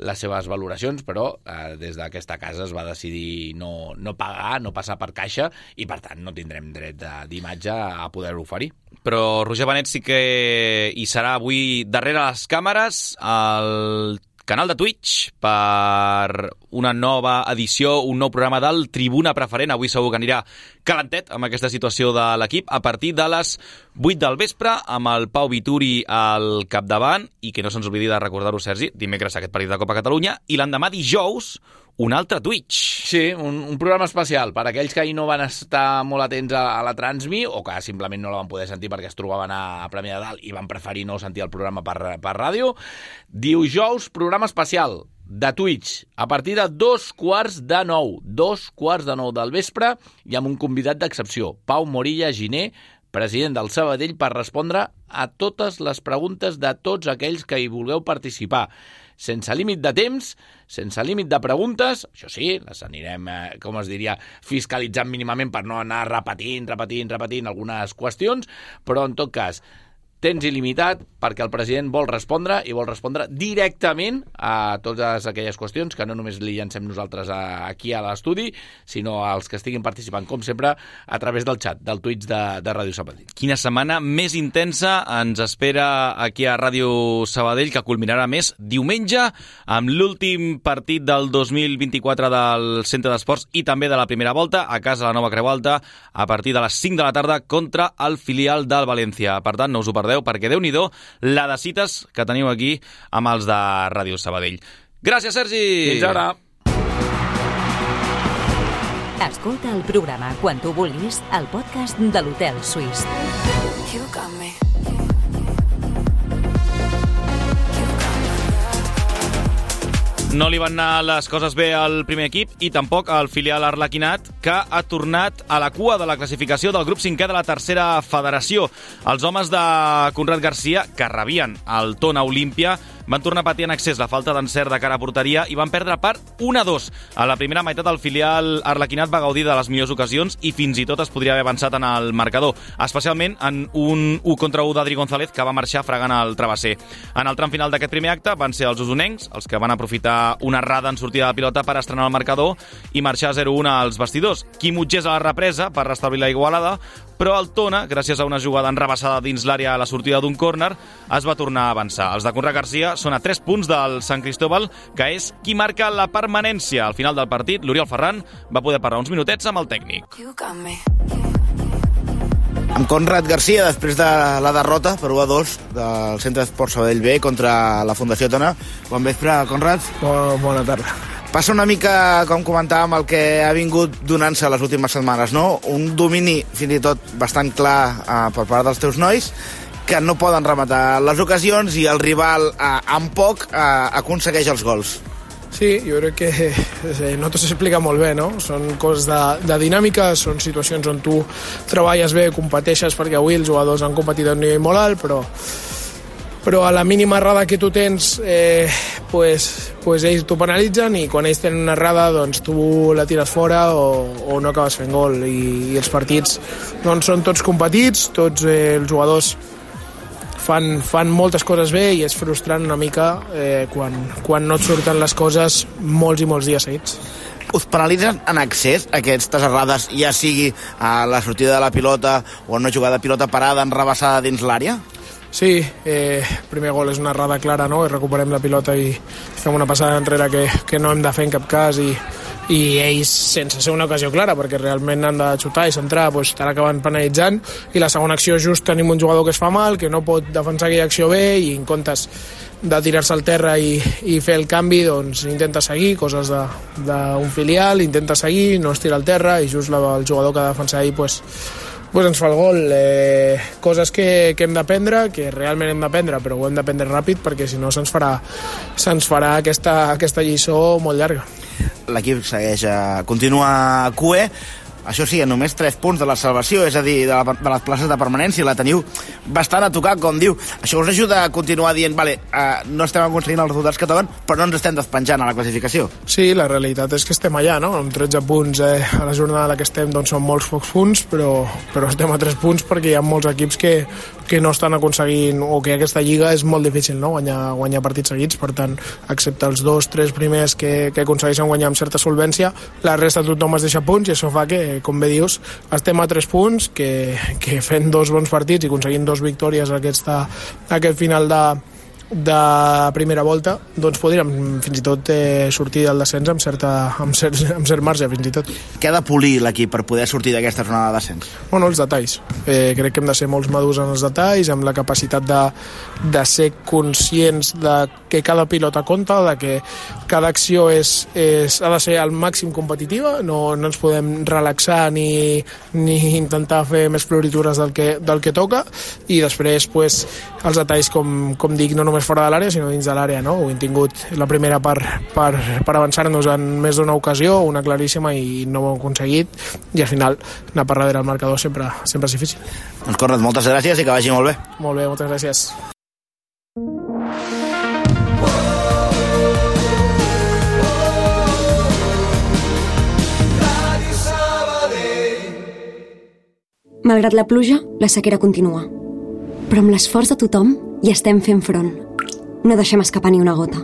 Speaker 4: les seves valoracions, però des d'aquesta casa es va decidir no pagar, no passar per caixa, i per tant no tindrem dret d'imatge a poder-ho oferir.
Speaker 1: Però Roger Benet sí que hi serà avui darrere les càmeres, al canal de Twitch, per una nova edició, un nou programa del Tribuna Preferent. Avui segur que anirà calentet amb aquesta situació de l'equip a partir de les 8 del vespre, amb el Pau Vituri al capdavant, i que no se'ns oblidi de recordar-ho, Sergi, dimecres aquest partit de Copa Catalunya, i l'endemà dijous un altre Twitch.
Speaker 4: Sí, un programa especial per aquells que ahir no van estar molt atents a la Transmi, o que simplement no la van poder sentir perquè es trobaven a Premià de Dalt i van preferir no sentir el programa per ràdio. Dijous, programa especial de Twitch, a partir de 2:45 del vespre, i amb un convidat d'excepció, Pau Morilla Giner, president del Sabadell, per respondre a totes les preguntes de tots aquells que hi vulgueu participar. Sense límit de temps, sense límit de preguntes, això sí, les anirem, com es diria, fiscalitzant mínimament per no anar repetint algunes qüestions, però en tot cas, temps il·limitat perquè el president vol respondre, i vol respondre directament a totes aquelles qüestions que no només li llancem nosaltres aquí a l'estudi, sinó als que estiguin participant, com sempre, a través del xat, del Twitch de Ràdio Sabadell.
Speaker 1: Quina setmana més intensa ens espera aquí a Ràdio Sabadell, que culminarà més diumenge amb l'últim partit del 2024 del Centre d'Esports i també de la primera volta a casa la Nova Creu Alta a partir de les 5 de la tarda contra el filial del València. Per tant, no us ho perdeu, perquè Déu-n'hi-do la de cites que teniu aquí amb els de Ràdio Sabadell. Gràcies, Sergi!
Speaker 4: Fins ara!
Speaker 2: Escolta el programa quan tu vulguis al podcast de l'Hotel Suís.
Speaker 1: No li van anar les coses bé al primer equip i tampoc al filial arlequinat, que ha tornat a la cua de la classificació del grup 5è de la tercera federació. Els homes de Conrad Garcia, que rebien el Tona Olímpia, van tornar a patir en excés la falta d'encert de cara a porteria i van perdre per 1-2. A la primera meitat el filial arlequinat va gaudir de les millors ocasions i fins i tot es podria haver avançat en el marcador, especialment en un 1-1 d'Adri González, que va marxar fregant el travesser. En el tram final d'aquest primer acte van ser els usonencs els que van aprofitar una errada en sortida de pilota per estrenar el marcador i marxar 0-1 als vestidors. Quim Utgés a la represa per restablir la igualada, però el Tona, gràcies a una jugada enrabassada dins l'àrea a la sortida d'un córner, es va tornar a avançar. Els de Conrad Garcia són a 3 punts del Sant Cristóbal, que és qui marca la permanència. Al final del partit, l'Oriol Ferran va poder parlar uns minutets amb el tècnic.
Speaker 6: Amb Conrad Garcia, després de la derrota per 1-2 del Centre d'Esports Sabadell B contra la Fundació Tona. Bon vespre, Conrad.
Speaker 3: Bona tarda.
Speaker 6: Passa una mica, com comentàvem, el que ha vingut donant-se les últimes setmanes, no? Un domini, fins i tot, bastant clar per part dels teus nois, que no poden rematar les ocasions i el rival amb poc aconsegueix els gols.
Speaker 7: Sí, jo crec que no t'ho s'explica molt bé, no? Són coses de dinàmica, són situacions on tu treballes bé, competeixes, perquè avui els jugadors han competit a un nivell molt alt, però a la mínima errada que tu tens pues ells t'ho penalitzen i quan ells tenen una errada doncs tu la tires fora o no acabes fent gol i els partits doncs són tots competits, tots els jugadors fan moltes coses bé i és frustrant una mica quan no et surten les coses molts i molts dies seguits.
Speaker 6: Us penalitzen en excés aquestes errades, ja sigui a la sortida de la pilota o en una jugada de pilota parada enrabassada dins l'àrea?
Speaker 7: Sí, el primer gol és una errada clara, no? Recuperem la pilota i fem una passada enrere que no hem de fer en cap cas i ells, sense ser una ocasió clara, perquè realment han de xutar i centrar, doncs estan acabant penalitzant, i la segona acció just tenim un jugador que es fa mal, que no pot defensar aquella acció bé, i en comptes de tirar-se al terra i fer el canvi, doncs intenta seguir, coses d'un filial, intenta seguir, no es tira al terra, i just el jugador que ha de defensar ahir, doncs ens fa el gol. Coses que hem d'aprendre, que realment hem d'aprendre, però ho hem d'aprendre ràpid perquè si no se'ns farà aquesta lliçó molt llarga.
Speaker 6: L'equip continua a QE, això sí, només 3 punts de la salvació, és a dir, de les places de permanència, la teniu bastant a tocar, com diu. Això us ajuda a continuar dient, vale, no estem aconseguint els resultats que toquen, però no ens estem despenjant a la classificació.
Speaker 7: Sí, la realitat és que estem allà, no? Amb 13 punts a la jornada en la que estem doncs són molts pocs punts, però estem a 3 punts perquè hi ha molts equips que no estan aconseguint, o que aquesta lliga és molt difícil, no? Guanyar partits seguits, per tant, excepte els 2-3 primers que aconsegueixen guanyar amb certa solvència, la resta tothom es deixa punts i això fa que, com bé dius, estem a 3 punts, que fent 2 bons partits i aconseguint 2 victòries aquest final de primera volta, doncs podríem fins i tot sortir del descens amb cert marge, fins i tot.
Speaker 6: Què ha de polir l'equip per poder sortir d'aquesta zona de descens?
Speaker 7: Bueno, els detalls. Crec que hem de ser molts madurs en els detalls, amb la capacitat de ser conscients de que cada pilota compta, de que cada acció ha de ser al màxim competitiva, no ens podem relaxar ni intentar fer més floritures del que toca, i després pues, els detalls, com dic, no només fora de l'àrea, sinó dins de l'àrea, no? Ho hem tingut la primera per avançar-nos en més d'una ocasió, una claríssima, i no ho hem aconseguit, i al final anar per darrere el marcador sempre és difícil.
Speaker 6: Doncs Conrad, moltes gràcies i que vagi molt bé.
Speaker 7: Molt bé, moltes gràcies.
Speaker 8: Malgrat la pluja, la sequera continua. Però amb l'esforç de tothom hi estem fent front. No deixem escapar ni una gota.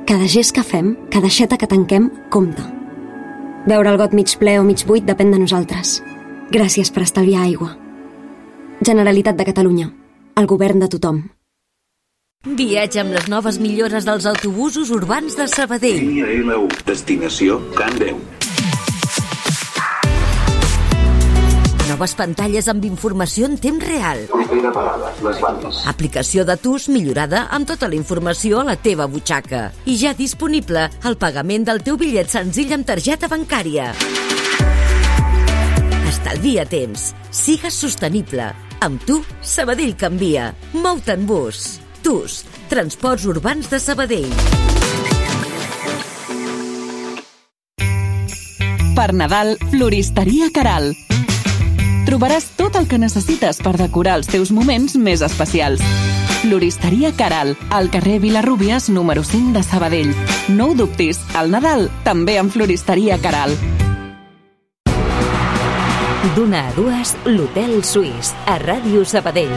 Speaker 8: Cada gest que fem, cada aixeta que tanquem, compta. Veure el got mig ple o mig buit depèn de nosaltres. Gràcies per estalviar aigua. Generalitat de Catalunya. El govern de tothom.
Speaker 2: Viatja amb les noves millores dels autobusos urbans de Sabadell.
Speaker 9: Línia L1, destinació Can Déu.
Speaker 2: Noves pantalles amb informació en temps real. Aplicació de TUS millorada amb tota la informació a la teva butxaca. I ja disponible el pagament del teu bitllet senzill amb targeta bancària. Estalvia temps. Sigues sostenible. Amb tu, Sabadell canvia. Mou-te en bus. TUS, Transports Urbans de Sabadell.
Speaker 10: Per Nadal, Floristeria Caral. Trobaràs tot el que necessites per decorar els teus moments més especials. Floristeria Caral, al carrer Vilarrúbies, número 5 de Sabadell. No ho dubtis, al Nadal també amb Floristeria Caral.
Speaker 2: D'una a dues, l'Hotel Suís, a Ràdio Sabadell.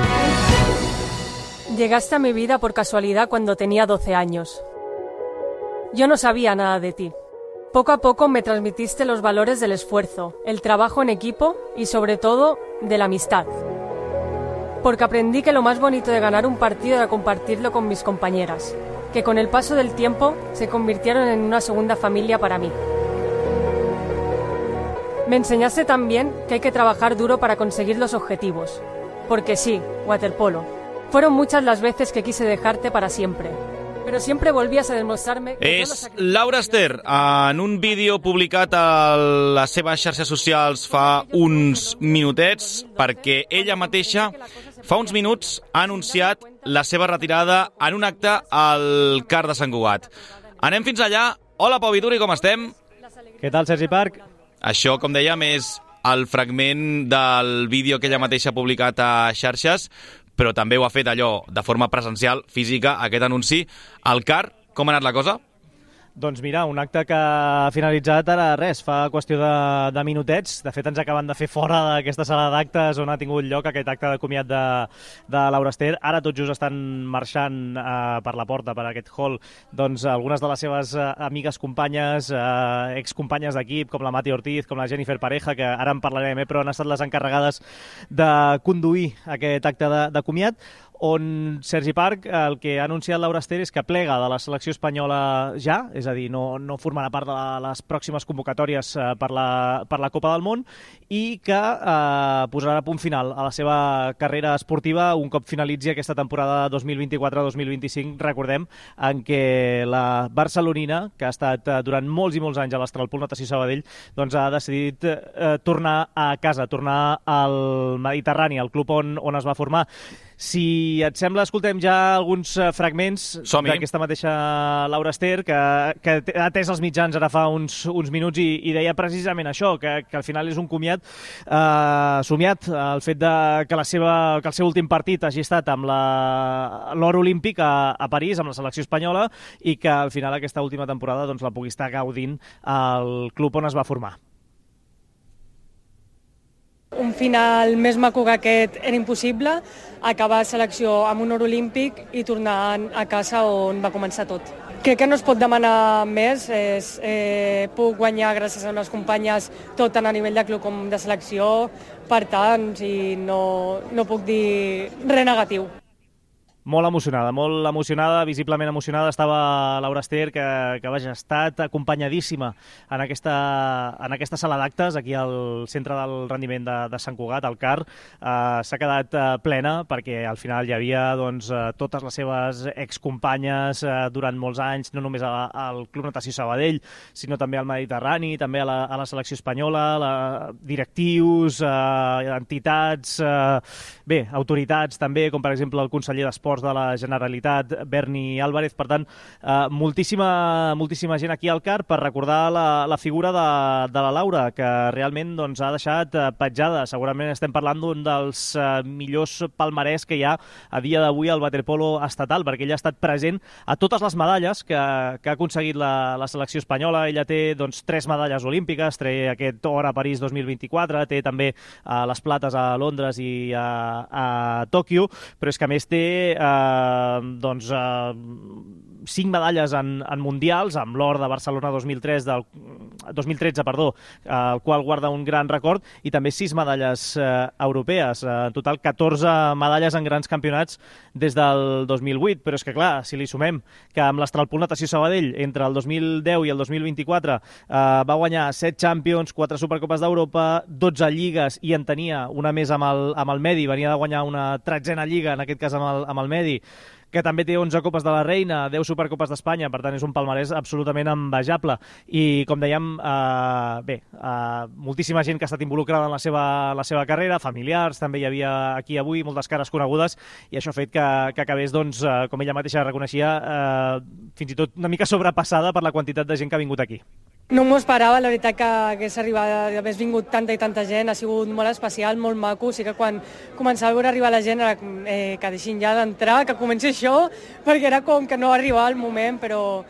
Speaker 11: Llegaste a mi vida por casualidad cuando tenía 12 años. Yo no sabía nada de ti. Poco a poco me transmitiste los valores del esfuerzo, el trabajo en equipo y sobre todo de la amistad. Porque aprendí que lo más bonito de ganar un partido era compartirlo con mis compañeras, que con el paso del tiempo se convirtieron en una segunda familia para mí. Me enseñaste también que hay que trabajar duro para conseguir los objetivos. Porque sí, waterpolo. Fueron muchas las veces que quise dejarte para siempre. Però sempre volvies a demostrar-me...
Speaker 1: És Laura Ester, en un vídeo publicat a les seves xarxes socials fa uns minutets, perquè ella mateixa fa uns minuts ha anunciat la seva retirada en un acte al CAR de Sant Cugat. Anem fins allà. Hola, Pau Vituri, com estem?
Speaker 12: Què tal, Sergi Parc?
Speaker 1: Això, com dèiem, és el fragment del vídeo que ella mateixa ha publicat a xarxes, però també ho ha fet allò de forma presencial, física, aquest anunci. Al CAR, com ha anat la cosa?
Speaker 12: Doncs mira, un acte que ha finalitzat ara res, fa qüestió de minutets. De fet, ens acaben de fer fora d'aquesta sala d'actes on ha tingut lloc aquest acte de comiat de Laura Ester. Ara tot just estan marxant per la porta, per aquest hall, doncs algunes de les seves amigues companyes, excompanyes d'equip, com la Mati Ortiz, com la Jennifer Pareja, que ara en parlarem, però han estat les encarregades de conduir aquest acte de comiat, on Sergi Parc el que ha anunciat Laura Ester és que plega de la selecció espanyola ja, és a dir, no formarà part de les pròximes convocatòries per la Copa del Món, i que posarà a punt final a la seva carrera esportiva un cop finalitzi aquesta temporada 2024-2025, recordem, en què la barcelonina, que ha estat durant molts i molts anys a l'Astralpool Natació Sabadell, doncs ha decidit tornar a casa, tornar al Mediterrani, al club on es va formar. Si et sembla, escoltem ja alguns fragments d'aquesta mateixa Laura Ester, que ha atès els mitjans ara fa uns minuts i deia precisament això, que al final és un comiat somiat, el fet que el seu últim partit hagi estat amb l'or olímpic a París, amb la selecció espanyola, i que al final aquesta última temporada doncs, la pugui estar gaudint al club on es va formar.
Speaker 11: Un final més maco que aquest era impossible, acabar selecció amb un or olímpic i tornar a casa on va començar tot. Crec que no es pot demanar més, puc guanyar gràcies a unes companyes tot tant a nivell de club com de selecció, per tant, no puc dir res negatiu.
Speaker 12: Molt emocionada, visiblement emocionada estava Laura Ester, que vaja, ha estat acompanyadíssima en aquesta sala d'actes, aquí al centre del rendiment de Sant Cugat, al CAR. S'ha quedat plena perquè al final hi havia doncs, totes les seves excompanyes durant molts anys, no només al Club Natació Sabadell, sinó també al Mediterrani, també a la selecció espanyola, directius, entitats, autoritats també, com per exemple el conseller d'Esports de la Generalitat, Berni Álvarez. Per tant, moltíssima gent aquí al CAR per recordar la figura de la Laura, que realment doncs, ha deixat petjada. Segurament estem parlant d'un dels millors palmarès que hi ha a dia d'avui al waterpolo estatal, perquè ella ha estat present a totes les medalles que ha aconseguit la selecció espanyola. Ella té doncs, 3 medalles olímpiques, té aquest or a París 2024, té també les plates a Londres i a Tòquio, però és que a més té 5 medalles en mundials, amb l'or de Barcelona 2013, el qual guarda un gran record, i també 6 medalles europees. En total, 14 medalles en grans campionats des del 2008. Però és que, clar, si li sumem que amb l'Astralpool Natació Sabadell, entre el 2010 i el 2024, va guanyar 7 Champions, 4 Supercopes d'Europa, 12 lligues, i en tenia una més amb el Medi, venia de guanyar una 13a lliga, en aquest cas amb el Medi, que també té 11 Copes de la Reina, 10 Supercopes d'Espanya, per tant és un palmarès absolutament envejable. I com dèiem, moltíssima gent que ha estat involucrada en la seva carrera, familiars, també hi havia aquí avui moltes cares conegudes, i això ha fet que acabés, doncs, com ella mateixa reconeixia, fins i tot una mica sobrepassada per la quantitat de gent que ha vingut aquí.
Speaker 11: No m'ho esperava, la veritat, que hagués vingut tanta i tanta gent, ha sigut molt especial, molt maco. Sí que quan començava a veure arribar la gent era que deixin ja d'entrar, que comenci això, perquè era com que no arribava el moment, però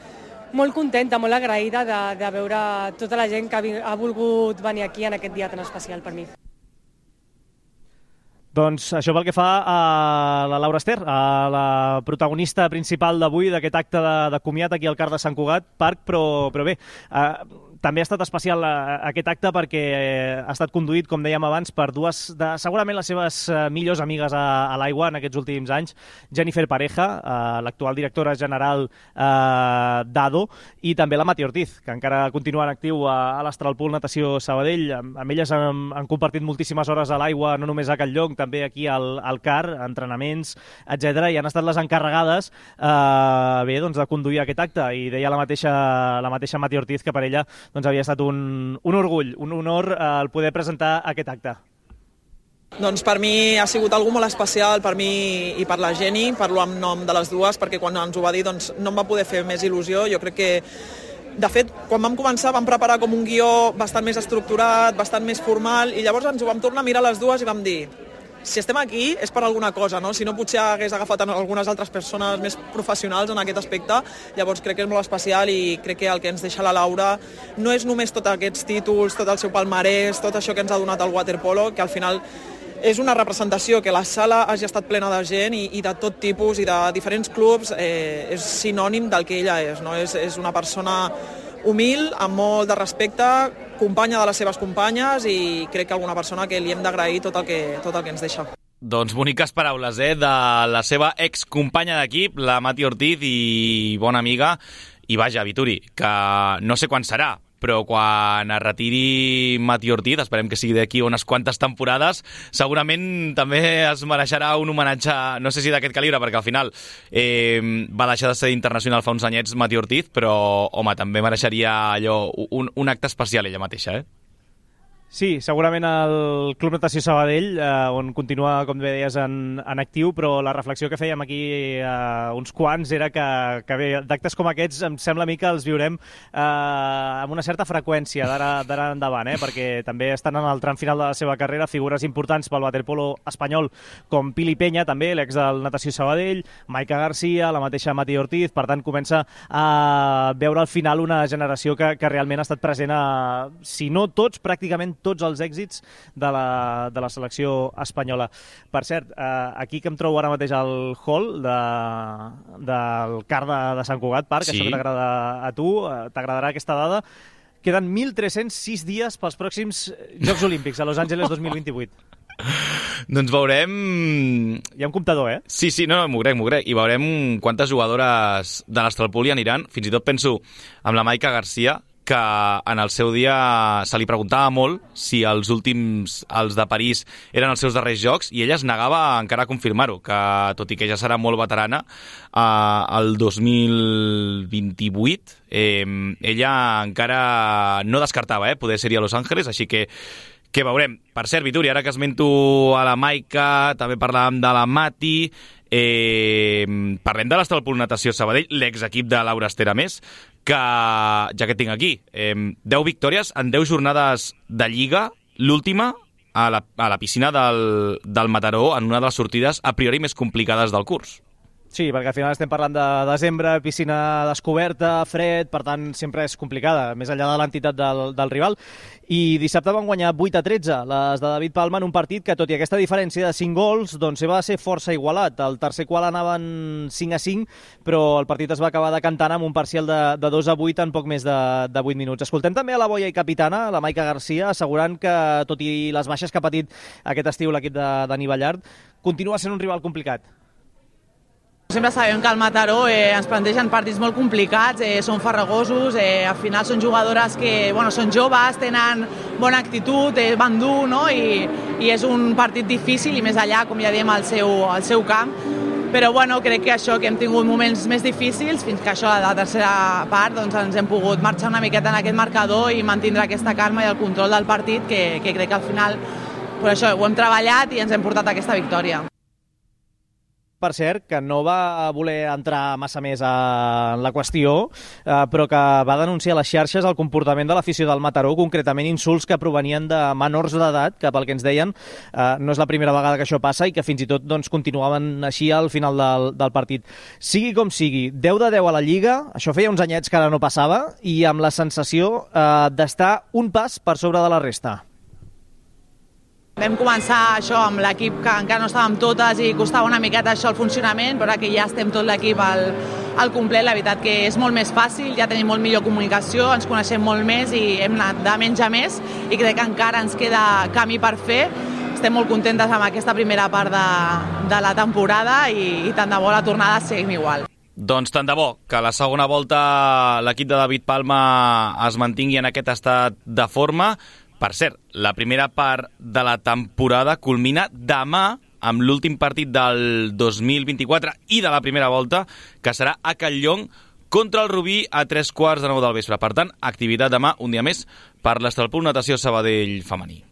Speaker 11: molt contenta, molt agraïda de veure tota la gent que ha volgut venir aquí en aquest dia tan especial per mi.
Speaker 12: Doncs això pel que fa a la Laura Ester, a la protagonista principal d'avui, d'aquest acte de comiat aquí al CAR de Sant Cugat Parc, però bé, també ha estat especial aquest acte perquè ha estat conduït, com dèiem abans, per dues de segurament les seves millors amigues a l'aigua en aquests últims anys, Jennifer Pareja, l'actual directora general d'ADO, i també la Mati Ortiz, que encara continua en actiu a l'Astralpool Natació Sabadell. Amb elles han compartit moltíssimes hores a l'aigua, no només a Catlllonc, també aquí al CAR, entrenaments, etc. I han estat les encarregades de conduir aquest acte, i deia la mateixa Mati Ortiz que per ella doncs havia estat un orgull, un honor el poder presentar aquest acte.
Speaker 13: Doncs per mi ha sigut algú molt especial, per mi i per la Jenny, parlo en nom de les dues, perquè quan ens ho va dir doncs, no em va poder fer més il·lusió. Jo crec que, de fet, quan vam començar vam preparar com un guió bastant més estructurat, bastant més formal, i llavors ens ho vam tornar a mirar les dues i vam dir si estem aquí és per alguna cosa, no? Si no potser hagués agafat algunes altres persones més professionals en aquest aspecte, llavors crec que és molt especial i crec que el que ens deixa la Laura no és només tots aquests títols, tot el seu palmarès, tot això que ens ha donat el waterpolo, que al final és una representació, que la sala hagi estat plena de gent i de tot tipus i de diferents clubs, és sinònim del que ella és, no? És una persona humil, amb molt de respecte, companya de les seves companyes i crec que alguna persona que li hem d'agrair tot el que ens deixa.
Speaker 1: Doncs boniques paraules, de la seva excompanya d'equip, la Mati Ortiz, i bona amiga. I vaja, Vituri, que no sé quan serà, però quan es retiri Mati Ortiz, esperem que sigui d'aquí unes quantes temporades, segurament també es mereixerà un homenatge, no sé si d'aquest calibre, perquè al final va deixar de ser internacional fa uns anyets Mati Ortiz, però, home, també mereixeria allò un acte especial ella mateixa,
Speaker 12: Sí, segurament el Club Natació Sabadell, on continua, com bé deies, en actiu, però la reflexió que fèiem aquí uns quants era que bé, d'actes com aquests em sembla a mi que els viurem amb una certa freqüència d'ara endavant, perquè també estan en el tram final de la seva carrera figures importants pel waterpolo espanyol com Pili Peña, també, l'ex del Natació Sabadell, Maica Garcia, la mateixa Mati Ortiz, per tant comença a veure al final una generació que realment ha estat present a, si no tots, pràcticament tots els èxits de la selecció espanyola. Per cert, aquí que em trobo ara mateix al hall del CAR de Sant Cugat Park, sí. Això que t'agrada a tu, t'agradarà aquesta dada, queden 1.306 dies pels pròxims Jocs Olímpics a Los Angeles 2028.
Speaker 1: Doncs veurem...
Speaker 12: Hi ha un comptador,
Speaker 1: Sí, no, m'ho crec. I veurem quantes jugadores de l'Astralpool hi aniran. Fins i tot penso amb la Maica Garcia, que en el seu dia se li preguntava molt si els últims, els de París, eren els seus darrers jocs, i ella es negava encara a confirmar-ho, que tot i que ja serà molt veterana, el 2028 ella encara no descartava poder ser-hi a Los Angeles, així que veurem. Per cert, Vituri, ara que esmento a la Maica, també parlàvem de la Mati, parlem de l'Astralpool Natació Sabadell, l'exequip de Laura Ester, a més, que, ja que tinc aquí, 10 victòries en 10 jornades de Lliga, l'última a la piscina del Mataró, en una de les sortides a priori més complicades del curs.
Speaker 12: Sí, perquè al final estem parlant de desembre, piscina descoberta, fred, per tant sempre és complicada, més enllà de l'entitat del rival. I dissabte van guanyar 8-13 les de David Palma en un partit que, tot i aquesta diferència de 5 gols, doncs va ser força igualat. El tercer qual anaven 5-5, però el partit es va acabar decantant amb un parcial de 2-8 en poc més de 8 minuts. Escoltem també a la boia i capitana, la Maica Garcia, assegurant que, tot i les baixes que ha patit aquest estiu l'equip de Dani Ballart, continua sent un rival complicat.
Speaker 14: Sempre sabem que al Mataró ens plantegen partits molt complicats, són farragosos, al final són jugadores que són joves, tenen bona actitud, van dur, no? I és un partit difícil, i més allà, com ja diem, al seu camp. Però crec que això, que hem tingut moments més difícils, fins que això, a la tercera part, doncs ens hem pogut marxar una miqueta en aquest marcador i mantindre aquesta calma i el control del partit, que crec que al final això, ho hem treballat i ens hem portat aquesta victòria.
Speaker 12: Per cert, que no va voler entrar massa més en la qüestió, però que va denunciar a les xarxes el comportament de l'afició del Mataró, concretament insults que provenien de menors d'edat, que pel que ens deien no és la primera vegada que això passa i que fins i tot continuaven així al final del partit. Sigui com sigui, 10 de 10 a la Lliga, això feia uns anyets que ara no passava, i amb la sensació d'estar un pas per sobre de la resta.
Speaker 14: Vam començar això amb l'equip que encara no estàvem totes i costava una miqueta això el funcionament, però que ja estem tot l'equip al complet, la veritat que és molt més fàcil, ja tenim molt millor comunicació, ens coneixem molt més i hem anat de menys a més, i crec que encara ens queda camí per fer. Estem molt contentes amb aquesta primera part de la temporada i tant de bo la tornada seguim igual.
Speaker 1: Doncs tant de bo que a la segona volta l'equip de David Palma es mantingui en aquest estat de forma. Per cert, la primera part de la temporada culmina demà amb l'últim partit del 2024 i de la primera volta, que serà a Catlllong contra el Rubí a 15:45 del vespre. Per tant, activitat demà, un dia més, per l'Astralpool Natació Sabadell femení.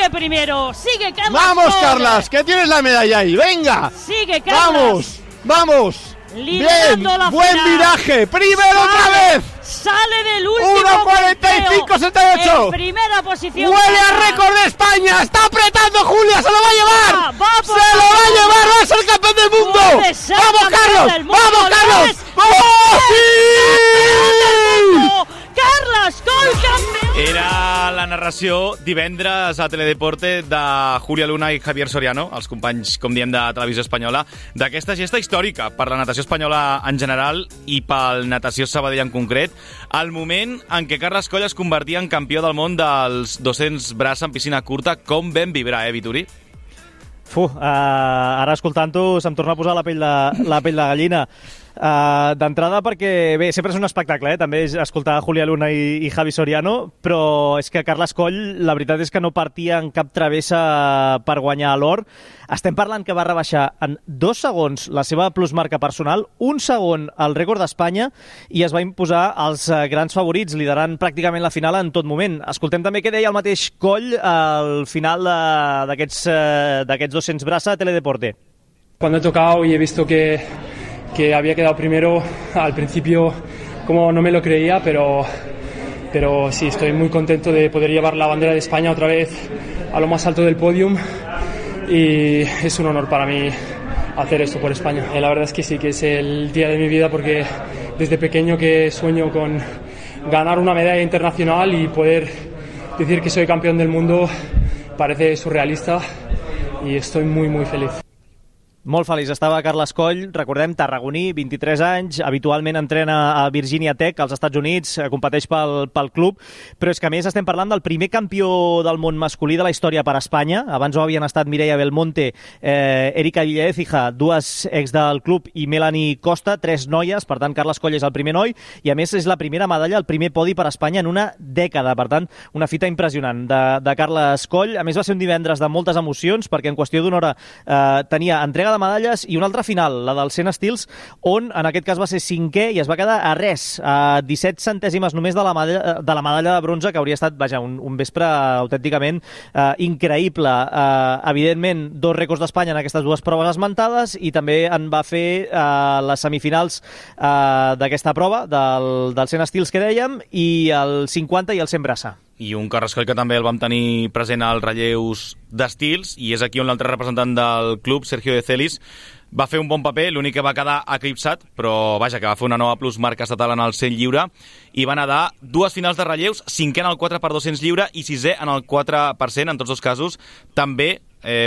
Speaker 15: Sigue primero, sigue Carlas.
Speaker 16: ¡Vamos, Carlas, que tienes la medalla ahí! ¡Venga!
Speaker 15: Sigue Carlas.
Speaker 16: ¡Vamos!
Speaker 15: Liderando
Speaker 16: bien,
Speaker 15: la
Speaker 16: buen
Speaker 15: final.
Speaker 16: viraje, primero otra vez.
Speaker 15: Sale del último
Speaker 16: 1:45.78.
Speaker 15: en primera posición.
Speaker 16: Huele a récord de España. Está apretando Julia, se lo va a llevar.
Speaker 15: Se
Speaker 16: lo va a llevar, va a ser campeón del mundo. Vamos, Carlos. Vamos, Carlos. ¡Vamos! ¡Sí!
Speaker 15: Carles Coll, campió!
Speaker 1: Era la narració divendres a Teledeporte de Júlia Luna i Javier Soriano, els companys, com diem, de Televisió Espanyola, d'aquesta gesta històrica per la natació espanyola en general i pel Natació Sabadell en concret, el moment en què Carles Coll es convertia en campió del món dels 200 braç en piscina curta. Com vam vibrar, Vituri?
Speaker 12: Ara escoltant-ho se'm torna a posar la pell de gallina. D'entrada perquè, bé, sempre és un espectacle, també escoltar Júlia Luna i Javi Soriano, però és que Carles Coll, la veritat és que no partia en cap travessa per guanyar l'or. Estem parlant que va rebaixar en 2 segons la seva plusmarca personal, 1 segon el rècord d'Espanya, i es va imposar als grans favorits, liderant pràcticament la final en tot moment. Escoltem també què deia el mateix Coll al final d'aquests 200 braça a Teledeporte.
Speaker 17: Cuando he tocado y he visto que había quedado primero, al principio como no me lo creía, pero sí, estoy muy contento de poder llevar la bandera de España otra vez a lo más alto del podium y es un honor para mí hacer esto por España. La verdad es que sí, que es el día de mi vida porque desde pequeño que sueño con ganar una medalla internacional y poder decir que soy campeón del mundo parece surrealista y estoy muy muy feliz.
Speaker 12: Molt feliç estava Carles Coll, recordem, tarragoní, 23 anys, habitualment entrena a Virginia Tech, als Estats Units, competeix pel club, però és que a més estem parlant del primer campió del món masculí de la història per a Espanya. Abans ho havien estat Mireia Belmonte, Erika Villaécija, 2 ex del club, i Melanie Costa, 3 noies, per tant Carles Coll és el primer noi, i a més és la primera medalla, el primer podi per a Espanya en una dècada, per tant una fita impressionant de Carles Coll. A més va ser un divendres de moltes emocions, perquè en qüestió d'una hora tenia entrega de medalles i una altra final, la del 100 estils, on en aquest cas va ser 5è i es va quedar a res, a 17 centèsimes només de la medalla de bronze, que hauria estat, vaja, un vespre autènticament increïble. Evidentment, 2 rècords d'Espanya en aquestes 2 proves esmentades, i també en va fer les semifinals d'aquesta prova, del 100 estils que dèiem, i el 50 i el 100 braça.
Speaker 1: I un Carles Coll que també el vam tenir present als relleus d'estils, i és aquí on l'altre representant del club, Sergio de Celis, va fer un bon paper, l'únic que va quedar eclipsat, però vaja, que va fer una nova plusmarca estatal en el 100 lliure, i va nedar 2 finals de relleus, 5è en el 4x200 lliure i 6è en el 4%, en tots 2 casos, també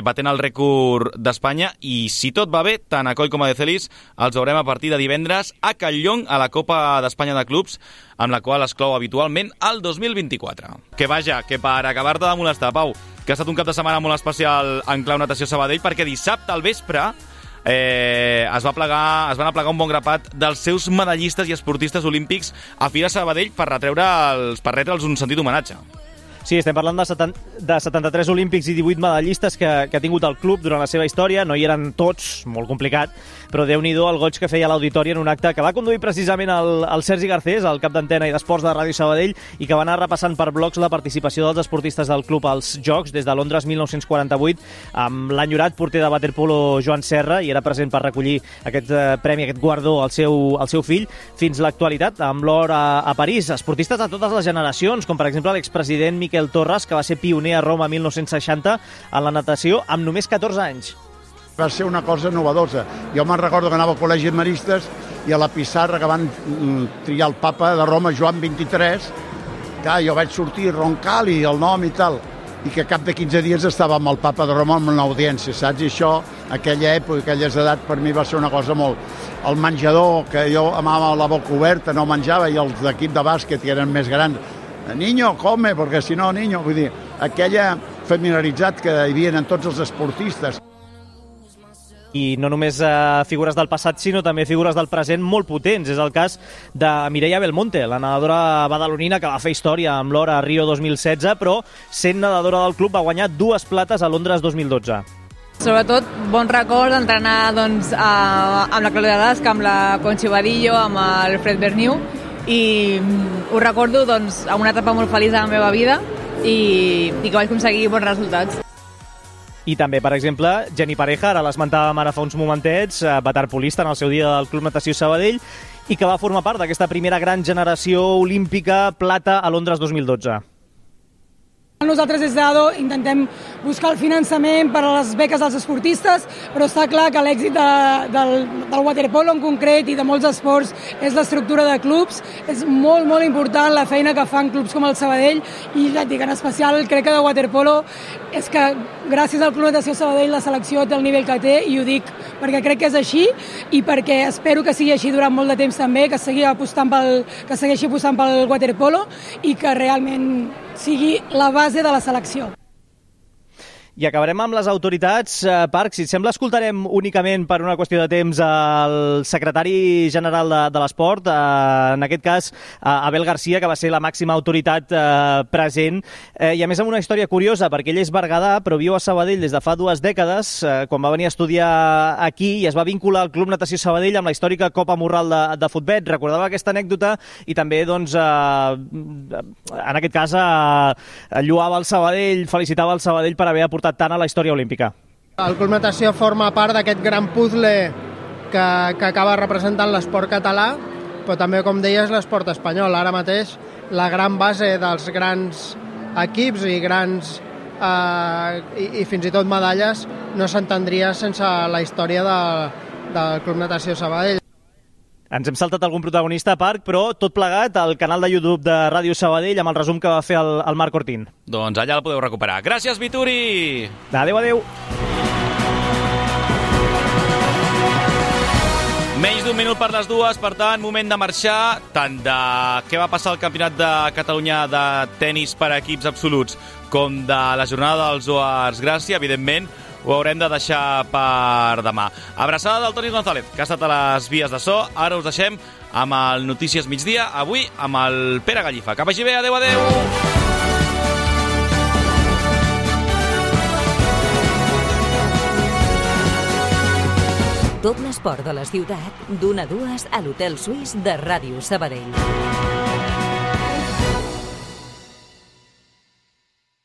Speaker 1: batent el rècord d'Espanya. I si tot va bé, tant a Coll com a de Celis els veurem a partir de divendres a Catlllong, a la Copa d'Espanya de Clubs, amb la qual es clou habitualment el 2024. Que vaja, que per acabar-te de molestar, Pau, que ha estat un cap de setmana molt especial en clau Natació Sabadell, perquè dissabte al vespre es van aplegar un bon grapat dels seus medallistes i esportistes olímpics a Fira Sabadell per retre'ls un sentit homenatge.
Speaker 12: Sí, estem parlant de 73 olímpics i 18 medallistes que ha tingut el club durant la seva història. No hi eren tots, molt complicat, però Déu-n'hi-do el goig que feia l'auditori en un acte que va conduir precisament el Sergi Garcés, el cap d'antena i d'esports de Ràdio Sabadell, i que va anar repassant per blocs la participació dels esportistes del club als Jocs des de Londres 1948, amb l'enyorat porter de waterpolo Joan Serra, i era present per recollir aquest premi, aquest guardó al seu fill, fins l'actualitat, amb l'or a París. Esportistes de totes les generacions, com per exemple l'expresident Miquel Torres, que va ser pioner a Roma 1960 en la natació amb només 14 anys.
Speaker 18: Va ser una cosa novedosa. Jo me'n recordo que anava al col·legi de maristes i a la pissarra que van triar el papa de Roma, Joan XXIII, clar, jo vaig sortir roncal i el nom i tal, i que cap de 15 dies estava amb el papa de Roma en una audiència, saps? I això, aquella època, aquelles edats, per mi va ser una cosa molt... El menjador, que jo amava la boca oberta, no menjava, i els d'equip de bàsquet, que eren més grans, niño, come, perquè si no, niño, vull dir, aquella familiaritat que hi havia en tots els esportistes.
Speaker 12: I no només figures del passat, sinó també figures del present molt potents. És el cas de Mireia Belmonte, la nedadora badalonina que va fer història amb l'or a Rio 2016, però sent nedadora del club va guanyar 2 plates a Londres 2012.
Speaker 19: Sobretot, bon record d'entrenar amb la Clàudia Dasca, amb la Conchi Badillo, amb el Fred Berniu, i ho recordo amb una etapa molt feliç de la meva vida, i que vaig aconseguir bons resultats.
Speaker 12: I també, per exemple, Jenny Pareja, ara l'esmentàvem ara fa uns momentets, waterpolista en el seu dia del Club Natació Sabadell, i que va formar part d'aquesta primera gran generació olímpica plata a Londres 2012.
Speaker 20: Nosaltres des d'ADO intentem buscar el finançament per a les beques dels esportistes, però està clar que l'èxit del waterpolo en concret i de molts esports és l'estructura de clubs. És molt, molt important la feina que fan clubs com el Sabadell, i ja et dic, en especial crec que de waterpolo és que gràcies al Club Natació Sabadell la selecció té el nivell que té, i ho dic perquè crec que és així i perquè espero que sigui així durant molt de temps també, que segueixi apostant pel waterpolo i que realment sigui la base de la selecció.
Speaker 12: I acabarem amb les autoritats. Parc, si et sembla, escoltarem únicament per una qüestió de temps el secretari general de l'esport, en aquest cas Abel García, que va ser la màxima autoritat present, i a més amb una història curiosa, perquè ell és berguedà, però viu a Sabadell des de fa 2 dècades, quan va venir a estudiar aquí i es va vincular al Club Natació Sabadell amb la històrica Copa Morral de Futbet. Recordava aquesta anècdota i també, doncs, en aquest cas, lloava el Sabadell, felicitava el Sabadell per haver aportat tant a la història olímpica.
Speaker 21: El Club Natació forma part d'aquest gran puzzle que acaba representant l'esport català, però també, com deies, l'esport espanyol. Ara mateix la gran base dels grans equips i grans i fins i tot medalles no s'entendria sense la història del Club Natació Sabadell.
Speaker 12: Ens hem saltat algun protagonista, Parc, però tot plegat al canal de YouTube de Ràdio Sabadell amb el resum que va fer el Marc Ortín.
Speaker 1: Doncs allà el podeu recuperar. Gràcies, Vituri!
Speaker 12: Adéu, adéu!
Speaker 1: Menys d'1 minut per les 2, per tant, moment de marxar tant de què va passar al Campionat de Catalunya de tenis per equips absoluts com de la jornada dels Oars Gràcia, evidentment, ho haurem de deixar per demà. Abraçada del Toni González, que ha estat a les vies de so. Ara us deixem amb el Notícies Migdia, avui amb el Pere Gallifa. Que vagi bé, adéu, adéu!
Speaker 2: Tot l'esport de la ciutat, d'1 a 2 a l'Hotel Suís de Ràdio Sabadell.